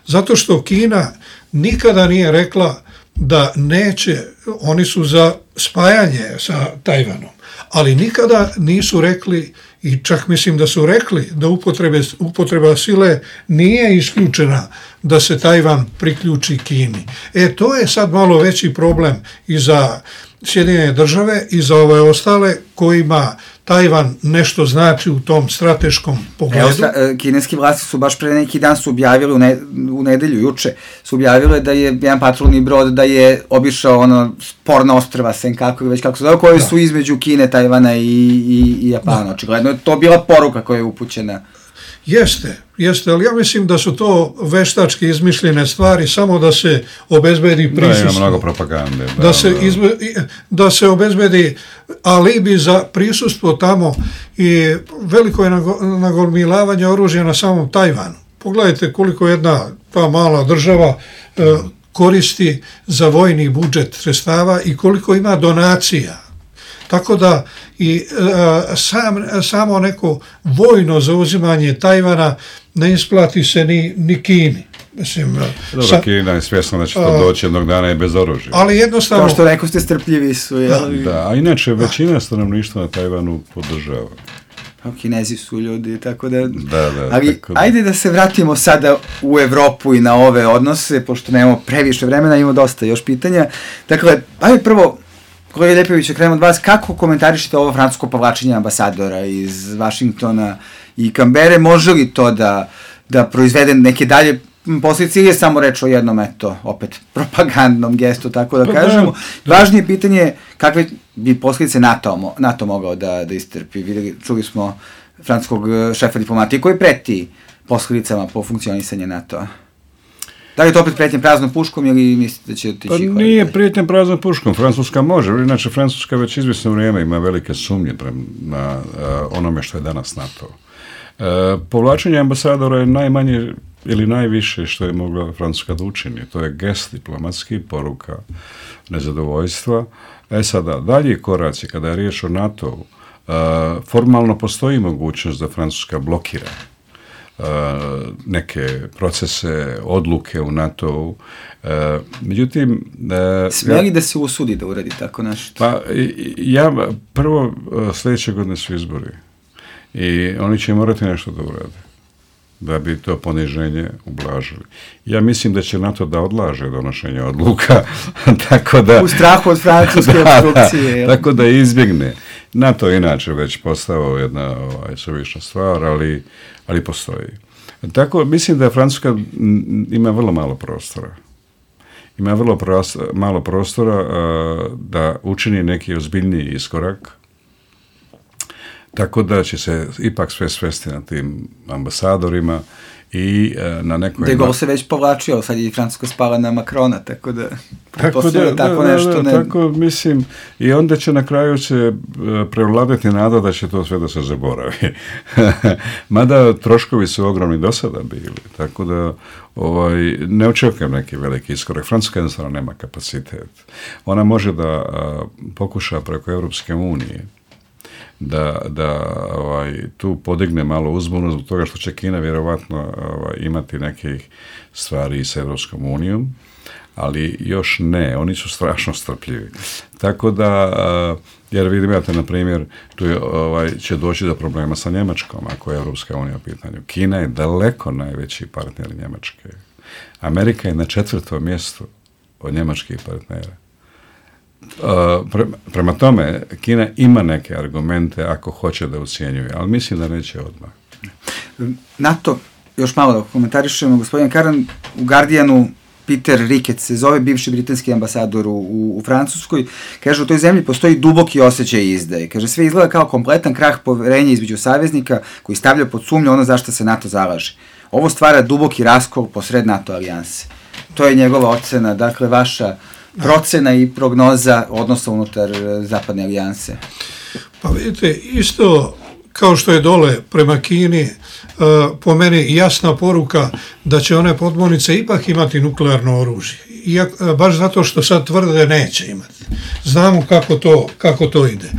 Zato što Kina nikada nije rekla da neće, oni su za spajanje sa Tajvanom, ali nikada nisu rekli, i čak mislim da su rekli da upotrebe, upotreba sile nije isključena da se Tajvan priključi Kini. E, to je sad malo veći problem i za Sjedinjene države i za ove ostale kojima Tajvan nešto znači u tom strateškom pogledu. Evo, kineski vlasti su baš pre neki dan su objavili u, ne, u nedelju, juče, su objavile da je jedan patrolni brod da je obišao ono sporna ostrva Senkaku, već kako se zove, koje da. Su između Kine, Tajvana i, i, i Japana. Da. Očigledno je to bila poruka koja je upućena. Jeste, jeste, ali ja mislim da su to veštački izmišljene stvari samo da se obezbedi prisustvo. Da, ima mnogo propagande. Da, da, se, izbe, da se obezbedi alibi za prisustvo tamo i veliko je nagomilavanje oružja na samom Tajvanu. Pogledajte koliko jedna ta mala država e, koristi za vojni budžet sredstava i koliko ima donacija. Tako da i e, sam, samo neko vojno zauzimanje Tajvana ne isplati se ni, ni Kini. Mislim, dobro, sa, Kina je svjesna da će to doći jednog dana i bez oružja. Ali jednostavno... Kao što rekao ste, strpljivi su. Da, da, a inače većina stanovništva na Tajvanu podržava. Kinezi su ljudi, tako da... Da, da. Ali tako da. Ajde da se vratimo sada u Evropu i na ove odnose, pošto nemamo previše vremena, imamo dosta još pitanja. Dakle, ajde prvo... Kolega Ljepović, krenemo od vas, kako komentarišete ovo francusko povlačenje ambasadora iz Vašingtona i Kambere? Može li to da, da proizvede neke dalje posljedice ili je samo reč o jednom, eto, opet propagandnom gestu, tako da kažemo? Važnije pitanje je kakve bi posljedice NATO, NATO mogao da, da istrpi. Videli, čuli smo francuskog šefa diplomatije koji preti posljedicama po funkcionisanju NATO-a. Da li je to opet prijetnja praznom puškom ili mislite da će otići? Pa nije prijetnja praznom puškom, Francuska može, inače Francuska već izvjesno vrijeme ima velike sumnje prema na uh, onome što je danas NATO. Uh, povlačenje ambasadora je najmanje ili najviše što je mogla Francuska da učini. To je gest diplomatski, poruka nezadovoljstva. E sada, dalje koraci, kada je riječ o NATO-u, uh, formalno postoji mogućnost da Francuska blokira Uh, neke procese, odluke u NATO-u. Uh, međutim... Uh, Smije li da se usudi da uradi tako nešto? Pa, ja, prvo, uh, sljedeće godine su izbori i oni će morati nešto da urade. da bi to poniženje ublažili. Ja mislim da će NATO da odlaže donošenje odluka, tako da... U strahu od francuske obstrukcije. Tako da izbjegne. NATO je inače već postao jedna ovaj, suvišna stvar, ali, ali postoji. Tako, mislim da Francuska ima vrlo malo prostora. Ima vrlo prostora, malo prostora uh, da učini neki ozbiljniji iskorak, tako da će se ipak sve svesti na tim ambasadorima i uh, na nekoj... De Gaulle se već povlačio, sad je i Francuska spala na Macrona, tako da... Tako da, tako da, nešto, da, ne... tako mislim, i onda će na kraju se prevladati nada da će to sve da se zaboravi. Mada troškovi su ogromni do sada bili, tako da ovaj, ne očekujem neki veliki iskorak. Francuska jednostavno nema kapacitet. Ona može da a, pokuša preko Europske unije da, da ovaj, tu podigne malo uzbunu zbog toga što će Kina vjerovatno ovaj, imati nekih stvari i s Europskom unijom, ali još ne, oni su strašno strpljivi. Tako da, jer vidim, imate, na primjer, tu je, ovaj, će doći do problema sa Njemačkom, ako je Europska unija u pitanju. Kina je daleko najveći partner Njemačke. Amerika je na četvrtom mjestu od njemačkih partnera. Pre, prema tome, Kina ima neke argumente ako hoće da ucijenjuje, ali mislim da neće odmah. NATO, još malo da komentarišemo, gospodin Karan, u Guardianu Peter Ricketts se zove, bivši britanski ambasador u, u, u Francuskoj, kaže u toj zemlji postoji duboki osjećaj izdaje. Kaže sve izgleda kao kompletan krah poverenja između saveznika koji stavlja pod sumnju ono zašto se NATO zalaže. Ovo stvara duboki raskol posred NATO alijanse. To je njegova ocena, dakle vaša procena i prognoza odnosa unutar zapadne alijanse. Pa vidite, isto kao što je dole prema Kini, po meni jasna poruka da će one podmornice ipak imati nuklearno oružje. Iako, baš zato što sad tvrde neće imati. Znamo kako to, kako to ide.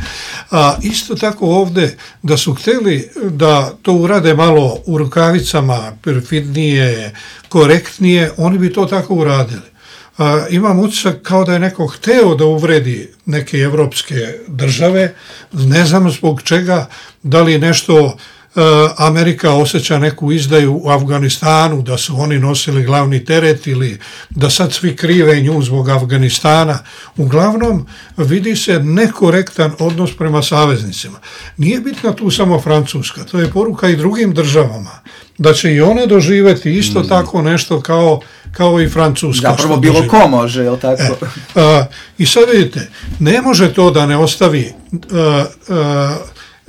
A isto tako ovdje da su htjeli da to urade malo u rukavicama, perfidnije, korektnije, oni bi to tako uradili. A, imam utisak kao da je neko hteo da uvredi neke evropske države, ne znam zbog čega, da li nešto a, Amerika osjeća neku izdaju u Afganistanu, da su oni nosili glavni teret ili da sad svi krive nju zbog Afganistana. Uglavnom vidi se nekorektan odnos prema saveznicima. Nije bitna tu samo Francuska, to je poruka i drugim državama, da će i one doživjeti isto mm. tako nešto kao kao i Francuska. Zapravo bilo doživi. Ko može, je li tako? E, a, I sad vidite, ne može to da ne ostavi a, a,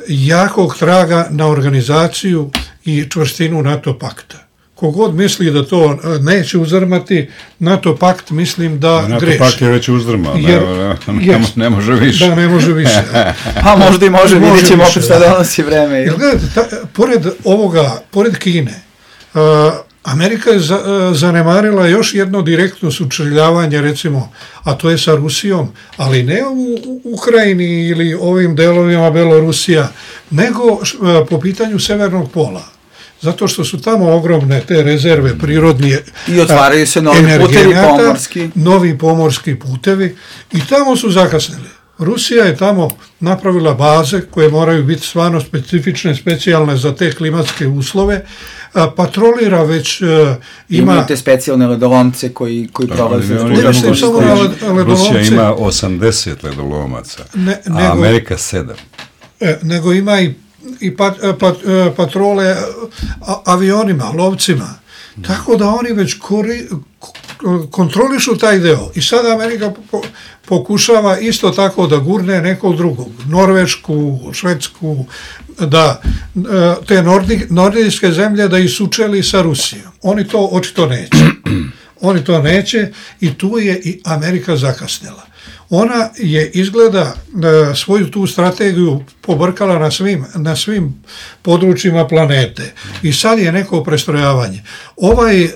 jakog traga na organizaciju i čvrstinu NATO pakta. Kogod misli da to neće uzdrmati, NATO pakt mislim da NATO greši. NATO pakt je već uzdrmao, Jer, ne, ne, ne može više. Da, ne može više. Pa možda i može, može vidjet ćemo opet šta donosi vreme. Jer gledajte, ta, pored ovoga, pored Kine, a, Amerika je za, zanemarila još jedno direktno sučeljavanje, recimo, a to je sa Rusijom, ali ne u Ukrajini ili ovim delovima Belorusija, nego po pitanju Severnog pola. Zato što su tamo ogromne te rezerve prirodnije. I otvaraju se novi putevi pomorski. Novi pomorski putevi i tamo su zakasnili. Rusija je tamo napravila baze koje moraju biti stvarno specifične, specijalne za te klimatske uslove. A, patrolira već uh, ima... Imaju te specijalne ledolomce koji, koji prolaze. Ne, ne, ne, samo ledolomce. Rusija ima osamdeset ledolomaca, ne, nego, a Amerika sedam. E, nego ima i, i pat, pat, patrole a, avionima, lovcima. Mm. Tako da oni već kori, kontrolišu taj deo. I sada Amerika po, pokušava isto tako da gurne nekog drugog. Norvešku, Švedsku, da te nordi, nordijske zemlje da ih sučeli sa Rusijom. Oni to očito neće. Oni to neće i tu je i Amerika zakasnila. Ona je izgleda svoju tu strategiju pobrkala na svim, na svim područjima planete. I sad je neko prestrojavanje. Ovaj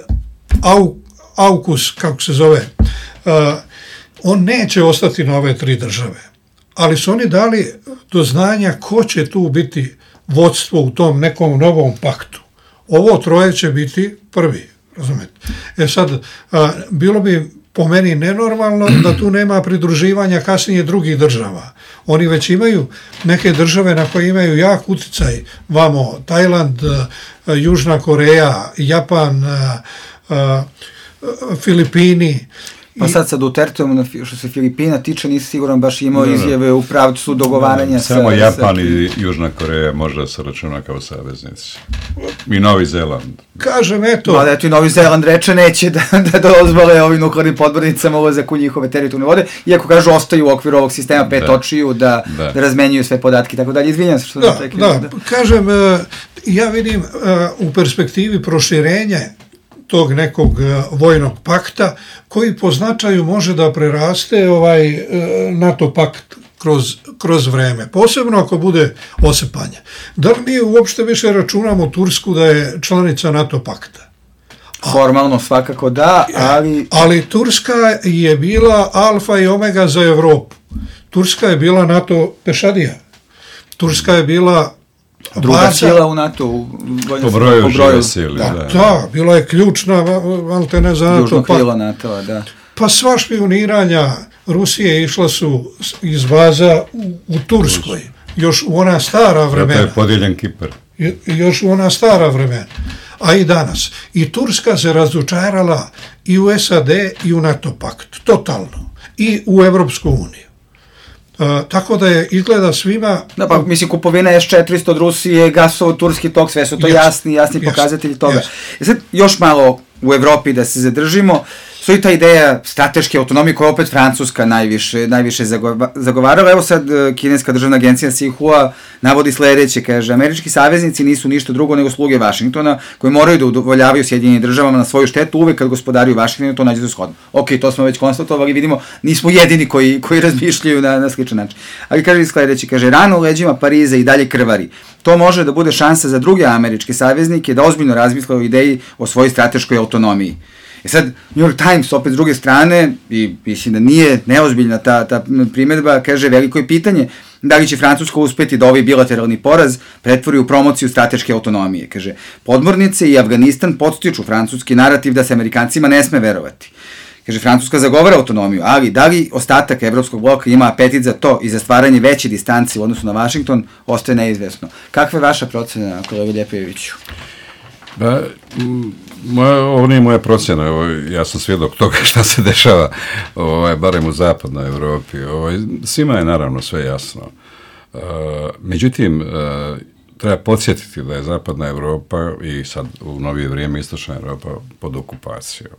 au, AUKUS, kako se zove, on neće ostati na ove tri države. Ali su oni dali do znanja ko će tu biti vodstvo u tom nekom novom paktu. Ovo troje će biti prvi, razumete. E sad, a, bilo bi po meni nenormalno da tu nema pridruživanja kasnije drugih država. Oni već imaju neke države na koje imaju jak uticaj, vamo Tajland, Južna Koreja, Japan, Filipini. Pa sad sa Duterteom, što se Filipina tiče, nisi siguran baš imao no, izjave u pravcu dogovaranja. Samo sa, Japan sa... i Južna Koreja možda se računa kao saveznici. I Novi Zeland. Kažem, eto... Pa da, eto i Novi Zeland reče neće da, da dozvole ovim nuklearnim podmornicama ulazak u njihove teritorijalne vode, iako kažu ostaju u okviru ovog sistema pet da. očiju da, da. da razmenjuju sve podatke i tako dalje. Izvinjam se što da, sam rekli. Da, da, kažem, ja vidim u perspektivi proširenja tog nekog vojnog pakta, koji po značaju može da preraste ovaj NATO pakt kroz, kroz vreme, posebno ako bude osepanje. Da li mi uopšte više računamo Tursku da je članica NATO pakta? Formalno svakako da, ali... Ali Turska je bila alfa i omega za Evropu. Turska je bila NATO pešadija. Turska je bila druga baza, sila u NATO u po broju, po broju. Sili, da, da, da, bila je ključna malte ne za NATO. Južno krilo NATO, da. Pa sva špioniranja Rusije išla su iz baza u, u Turskoj, još u ona stara vremena. Zato je podijeljen Kipar. Još u ona stara vremena, a i danas. I Turska se razočarala i u S A D i u NATO pakt, totalno. I u Evropsku uniju. Uh, tako da je izgleda svima... Da, pa mislim kupovina S četiristo od Rusije, gasov, turski tok, sve su to yes, jasni, jasni yes, pokazatelji toga. Yes. I sad još malo u Evropi da se zadržimo, stoji ta ideja strateške autonomije koja opet Francuska najviše, najviše zagovarala. Evo sad kineska državna agencija Xinhua navodi sledeće, kaže, američki saveznici nisu ništa drugo nego sluge Vašingtona, koji moraju da udovoljavaju Sjedinjenim državama na svoju štetu, uvek kad gospodari u Vašingtonu to nađe za shodno. Ok, to smo već konstatovali, vidimo, nismo jedini koji, koji razmišljaju na, na sličan način. Ali kaže sledeće, kaže, rano u leđima Pariza i dalje krvari. To može da bude šansa za druge američke saveznike da ozbiljno razmisle o ideji o svojoj strateškoj autonomiji. I sad, New York Times, opet s druge strane, i mislim da nije neozbiljna ta, ta primjedba, kaže, veliko je pitanje da li će Francuska uspeti da ovaj bilateralni poraz pretvori u promociju strateške autonomije. Kaže, podmornice i Afganistan podstiču francuski narativ da se Amerikancima ne sme verovati. Kaže, Francuska zagovara autonomiju, ali da li ostatak evropskog bloka ima apetit za to i za stvaranje veće distance u odnosu na Vašington, ostaje neizvesno. Kakva je vaša procena, kolega Ljepojeviću? Da, moja, ovo nije moja procjena, ovo, ja sam svjedok toga šta se dešava, ovaj, barem u zapadnoj Evropi. Ovaj, svima je naravno sve jasno. Uh, međutim, uh, treba podsjetiti da je zapadna Evropa i sad u novije vrijeme istočna Evropa pod okupacijom.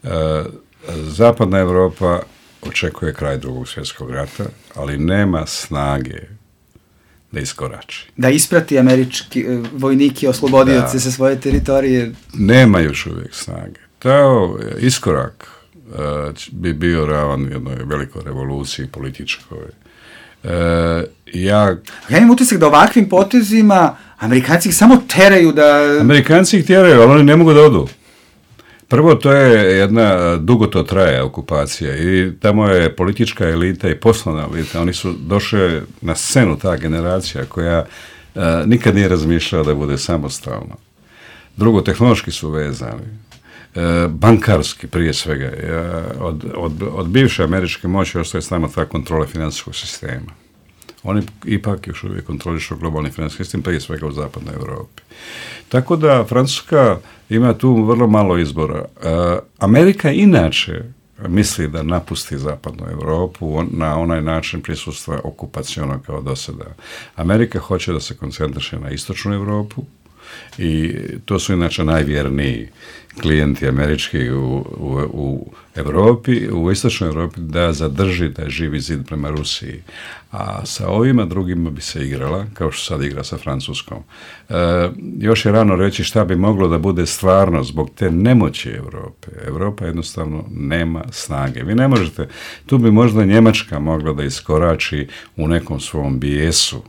Uh, zapadna Evropa očekuje kraj drugog svjetskog rata, ali nema snage da iskorači. Da isprati američki uh, vojniki oslobodioce sa svoje teritorije. Nema još uvijek snage. Tao iskorak uh, bi bio ravan jednoj velikoj revoluciji političkoj. Uh, ja... ja imam utisak da ovakvim potezima Amerikanci ih samo teraju da... Amerikanci ih teraju, ali oni ne mogu da odu. Prvo, to je jedna, dugo to traje okupacija i tamo je politička elita i poslovna elita, oni su došli na scenu, ta generacija koja uh, nikad nije razmišljala da bude samostalna. Drugo, tehnološki su vezani, uh, bankarski prije svega. Uh, od, od, od bivše američke moći ostaje samo ta kontrola financijskog sistema. Oni ipak još uvijek kontrolišu globalni financijski sistem, prije svega u zapadnoj Evropi. Tako da Francuska ima tu vrlo malo izbora. Uh, Amerika inače misli da napusti zapadnu Evropu na onaj način prisustva okupaciona kao do sada. Amerika hoće da se koncentriše na istočnu Evropu i to su inače najvjerniji klijenti američki u, u, u Evropi, u istočnoj Evropi, da zadrži taj živi zid prema Rusiji. A sa ovima drugima bi se igrala, kao što sad igra sa Francuskom. E, još je rano reći šta bi moglo da bude stvarno zbog te nemoći Evrope. Evropa jednostavno nema snage. Vi ne možete, tu bi možda Njemačka mogla da iskorači u nekom svom bijesu,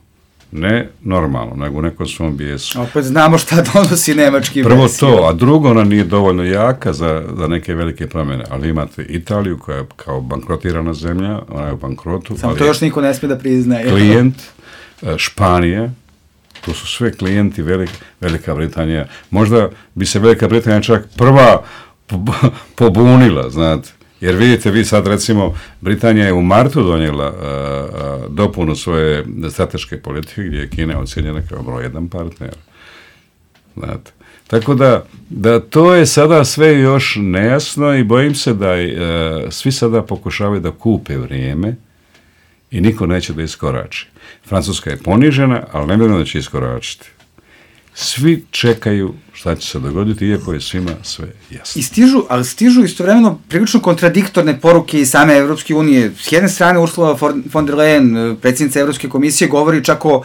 ne normalno, nego u nekom svom bijesu. Opet znamo šta donosi nemački Prvo bijes. To, a drugo, ona nije dovoljno jaka za, za neke velike promjene, ali imate Italiju koja je kao bankrotirana zemlja, ona je u bankrotu. Samo to još niko ne smije da priznaje. Klijent, Španije, to su sve klijenti velik, Velika Britanija. Možda bi se Velika Britanija čak prva pobunila, znate, Jer vidite, vi sad recimo, Britanija je u martu donijela a, a, dopunu svoje strateške politike gdje je Kina ocjenjena kao broj jedan partner. Znate. Tako da, da to je sada sve još nejasno i bojim se da a, svi sada pokušavaju da kupe vrijeme i niko neće da iskorači. Francuska je ponižena, ali ne vjerujem da će iskoračiti. Svi čekaju šta će se dogoditi, iako je svima sve jasno. I stižu, ali stižu istovremeno prilično kontradiktorne poruke iz same Evropske unije. S jedne strane Ursula von der Leyen, predsjednica Evropske komisije, govori čak o,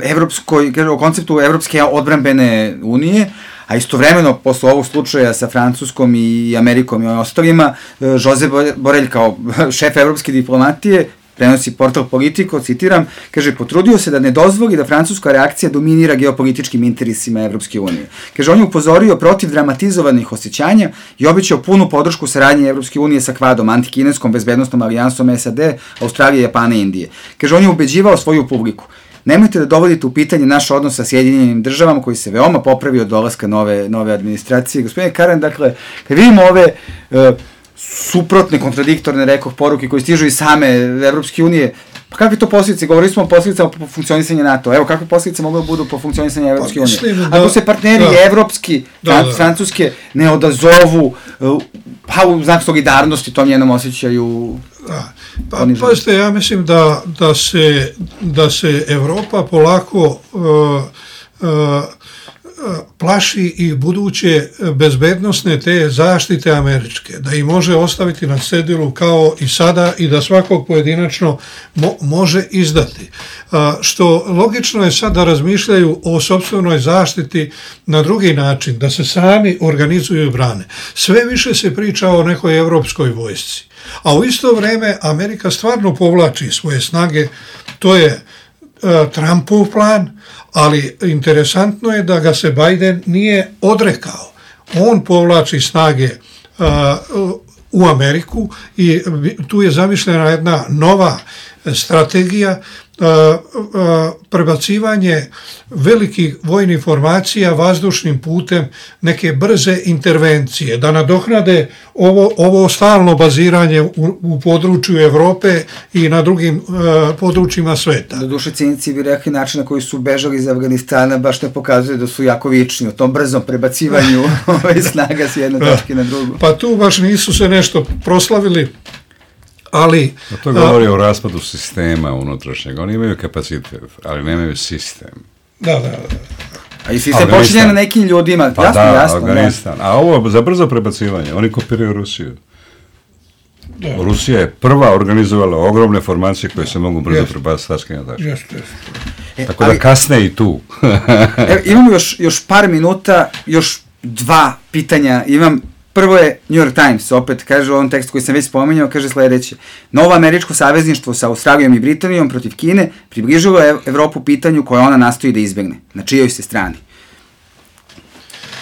evropskoj, o konceptu Evropske odbrambene unije, a istovremeno, posle ovog slučaja sa Francuskom i Amerikom i ostalima, Josep Borrell kao šef evropske diplomatije prenosi portal Politico, citiram, kaže, potrudio se da ne dozvoli da francuska reakcija dominira geopolitičkim interesima Evropske unije. Kaže, on je upozorio protiv dramatizovanih osjećanja i obećao punu podršku saradnje Evropske unije sa Kvadom, antikineskom bezbednostnom alijansom S A D, Australije, Japana i Indije. Kaže, on je ubeđivao svoju publiku. Nemojte da dovodite u pitanje naš odnos sa Sjedinjenim državama koji se veoma popravio od dolaska nove, nove administracije. Gospodine Karen, dakle, kad vidimo ove uh, suprotne, kontradiktorne, rekoh, poruke koje stižu iz same Evropske unije, pa kakve to posljedice? Govorili smo o posledicama po funkcionisanju NATO. Evo, kakve posljedice mogu da budu po funkcionisanju Evropske unije? Da, ako se partneri da, evropski, da, da. francuske, ne odazovu, pa u znak solidarnosti tom njenom osjećaju... Da. Pa, pazite, ja mislim da, da, se, da se Evropa polako uh, uh, plaši i buduće bezbednosne te zaštite američke, da ih može ostaviti na cedilu kao i sada i da svakog pojedinačno mo, može izdati. A, što logično je sad da razmišljaju o sopstvenoj zaštiti na drugi način, da se sami organizuju i brane. Sve više se priča o nekoj evropskoj vojsci, a u isto vrijeme Amerika stvarno povlači svoje snage, to je a, Trumpov plan, ali interesantno je da ga se Biden nije odrekao. On povlači snage uh, u Ameriku i tu je zamišljena jedna nova strategija, uh, uh, prebacivanje velikih vojnih formacija vazdušnim putem, neke brze intervencije, da nadoknade ovo, ovo stalno baziranje u, u području Evrope i na drugim uh, područjima sveta. Doduše, cinici bi rekli način na koji su bežali iz Afganistana baš ne pokazuje da su jako vični o tom brzom prebacivanju ove snaga s jedne točke na drugu. Pa tu baš nisu se nešto proslavili, ali... A to govori a, o raspadu sistema unutrašnjeg. Oni imaju kapacitet, ali nemaju sistem. Da, da, da. A i sistem počinje na nekim ljudima. Pa jasno, da, jasno, Afganistan. Da. A ovo za brzo prebacivanje, oni kopiraju Rusiju. Da. Rusija je prva organizovala ogromne formacije koje da. se mogu brzo prebaciti tačke na tačke. Jeste, jeste. Tako ali, da kasne i tu. Evo, imamo još, još par minuta, još dva pitanja. Imam Prvo je New York Times, opet kaže u ovom tekstu koji sam već spominjao, kaže sledeće. Novo američko savezništvo sa Australijom i Britanijom protiv Kine približilo je Evropu pitanju koje ona nastoji da izbegne. Na čijoj se strani?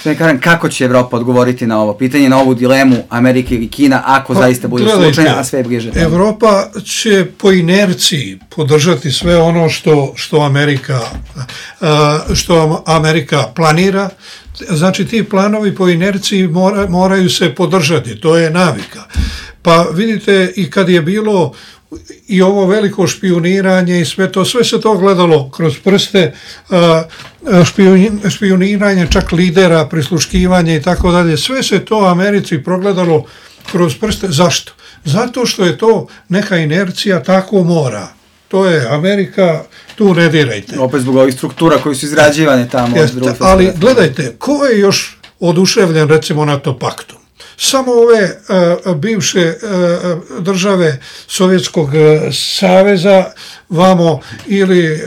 Sve kažem, kako će Evropa odgovoriti na ovo pitanje, na ovu dilemu Amerike ili Kina, ako pa, zaista bude slučajno, a sve je bliže? Evropa će po inerciji podržati sve ono što, što, Amerika, što Amerika planira. Znači, ti planovi po inerciji mora, moraju se podržati, to je navika. Pa vidite, i kad je bilo i ovo veliko špijuniranje i sve to, sve se to gledalo kroz prste, špijuniranje čak lidera, prisluškivanje i tako dalje, sve se to Americi progledalo kroz prste. Zašto? Zato što je to neka inercija, tako mora. To je Amerika, tu ne dirajte. Opet zbog ovih struktura koji su izrađivane tamo. Jeste, ali gledajte, ko je još oduševljen recimo NATO paktom? Samo ove uh, bivše uh, države Sovjetskog uh, saveza, vamo ili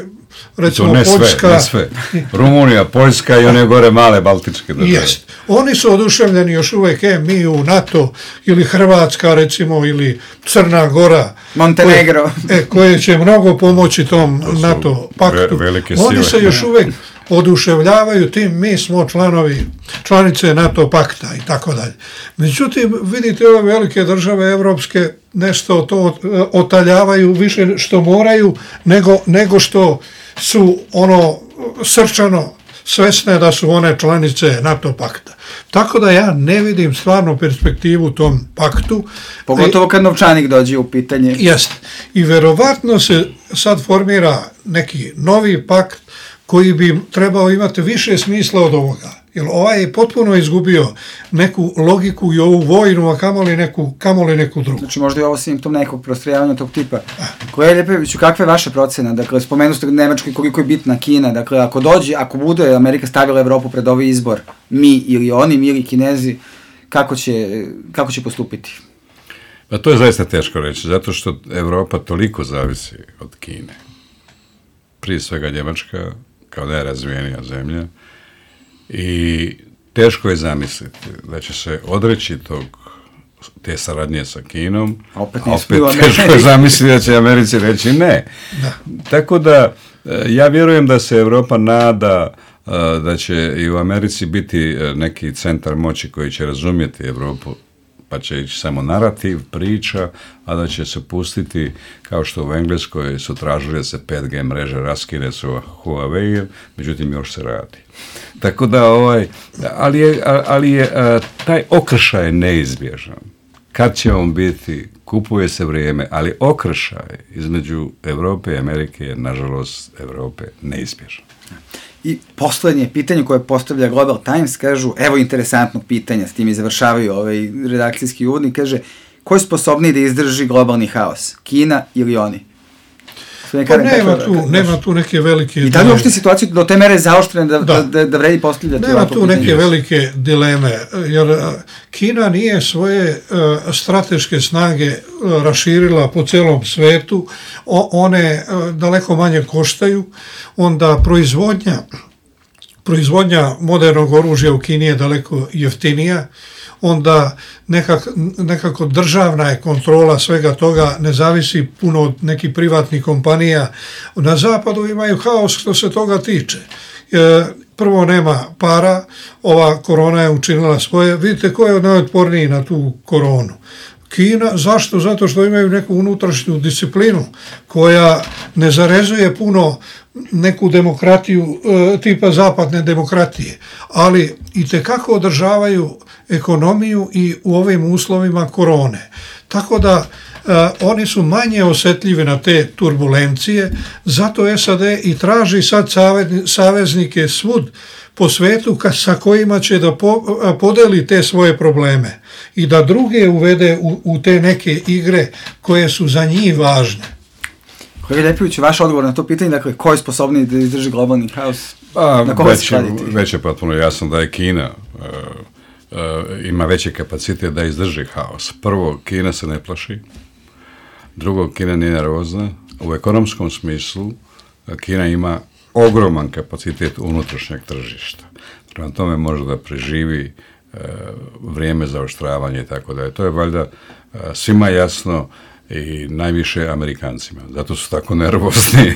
recimo ne Poljska. Sve, ne sve. Rumunija, Poljska i one gore male baltičke države. Jest. Oni su oduševljeni još uvek, e, mi u NATO ili Hrvatska recimo ili Crna Gora. Montenegro. Koje, e, koje će mnogo pomoći tom NATO paktu. Ve, Oni se još uvek oduševljavaju tim, mi smo članovi, članice NATO pakta i tako dalje. Međutim, vidite, ove velike države evropske nešto to otaljavaju više što moraju nego, nego što su ono srčano svesne da su one članice NATO pakta. Tako da ja ne vidim stvarno perspektivu u tom paktu. Pogotovo kad novčanik dođe u pitanje. Jeste. I verovatno se sad formira neki novi pakt koji bi trebao imati više smisla od ovoga. Jer ovaj je potpuno izgubio neku logiku i ovu vojnu, a kamoli neku, kamoli neku drugu. Znači možda je ovo simptom nekog prostrojavanja tog tipa. Koja je Ljepojeviću, kakva je vaša procena? Dakle, spomenu ste Nemačkoj koliko je bitna Kina. Dakle, ako dođe, ako bude Amerika stavila Evropu pred ovaj izbor, mi ili oni, mi ili Kinezi, kako će, kako će postupiti? Pa to je zaista teško reći, zato što Evropa toliko zavisi od Kine. Prije svega Njemačka, kao najrazvijenija zemlja, i teško je zamisliti da će se odreći tog, te saradnje sa Kinom, a opet, a opet teško je zamisliti da će Americi reći ne. Da. Tako da ja vjerujem da se Evropa nada da će i u Americi biti neki centar moći koji će razumjeti Evropu, pa će ići samo narativ, priča, a da će se pustiti, kao što u Engleskoj su tražili da se pet G mreže raskine su Huawei, međutim još se radi. Tako da, ovaj, ali je, ali je taj okršaj je neizbježan. Kad će on biti, kupuje se vrijeme, ali okršaj između Evrope i Amerike je, nažalost, Evrope neizbježan. I poslednje pitanje koje postavlja Global Times, kažu, evo interesantnog pitanja, s tim i završavaju ovaj redakcijski uvodnik, kaže, ko je sposobniji da izdrži globalni haos? Kina ili oni? Pa nema tu, nema tu neke velike... I da li uopšte situaciju do te mere zaoštrene da, da. da, da vredi postavljati? Nema tu neke pitanje. Velike dileme, jer Kina nije svoje uh, strateške snage uh, raširila po celom svetu, o, one uh, daleko manje koštaju, onda proizvodnja, proizvodnja modernog oružja u Kini je daleko jeftinija, onda nekak, nekako državna je kontrola svega toga, ne zavisi puno od nekih privatnih kompanija. Na zapadu imaju haos što se toga tiče. E, prvo nema para, ova korona je učinila svoje. Vidite ko je najotporniji na tu koronu? Kina, zašto? Zato što imaju neku unutrašnju disciplinu koja ne zarezuje puno neku demokratiju e, tipa zapadne demokratije, ali i tekako održavaju ekonomiju i u ovim uslovima korone. Tako da e, oni su manje osjetljivi na te turbulencije, zato S A D i traži sad saveznike svud po svetu ka, sa kojima će da po, podeli te svoje probleme i da druge uvede u, u te neke igre koje su za njih važne. Kolega Ljepojević, vaš odgovor na to pitanje, dakle, ko je sposobniji da izdrži globalni haos? A, na koga se skladiti? Već je potpuno jasno da je Kina uh, uh, ima veći kapacitet da izdrži haos. Prvo, Kina se ne plaši. Drugo, Kina nije nervozna. U ekonomskom smislu Kina ima ogroman kapacitet unutrašnjeg tržišta. Prema tome može da preživi uh, vrijeme za oštravanje i tako da je. To je valjda uh, svima jasno i najviše Amerikancima. Zato su tako nervozni.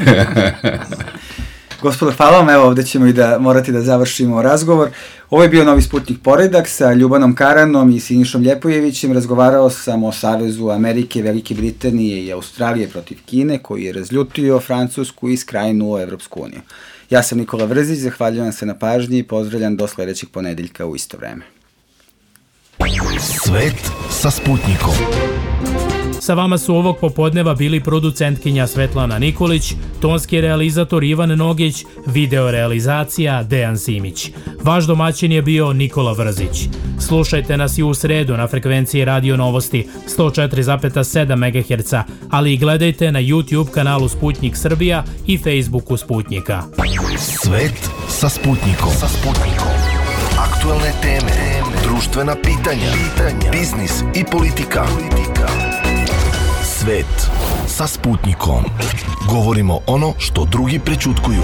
Gospodo, hvala vam. Evo, ovdje ćemo i da morati da završimo razgovor. Ovo je bio Novi Sputnik Poredak sa Ljubanom Karanom i Sinišom Ljepojevićem. Razgovarao sam o Savezu Amerike, Velike Britanije i Australije protiv Kine, koji je razljutio Francusku i skrajnuo Evropsku uniju. Ja sam Nikola Vrzić, zahvaljujem se na pažnji i pozdravljam do sledećeg ponedeljka u isto vreme. Svet sa Sputnikom. Sa vama su ovog popodneva bili producentkinja Svetlana Nikolić, tonski realizator Ivan Nogić, video realizacija Dejan Simić. Vaš domaćin je bio Nikola Vrzić. Slušajte nas i u sredu na frekvenciji Radio Novosti sto četiri zarez sedam megaherca, ali i gledajte na YouTube kanalu Sputnik Srbija i Facebooku Sputnika. Svet sa Sputnikom. Sa Sputnikom. Aktualne teme, društvena pitanja, biznis i politika. Svet sa Sputnikom. Govorimo ono što drugi prećutkuju.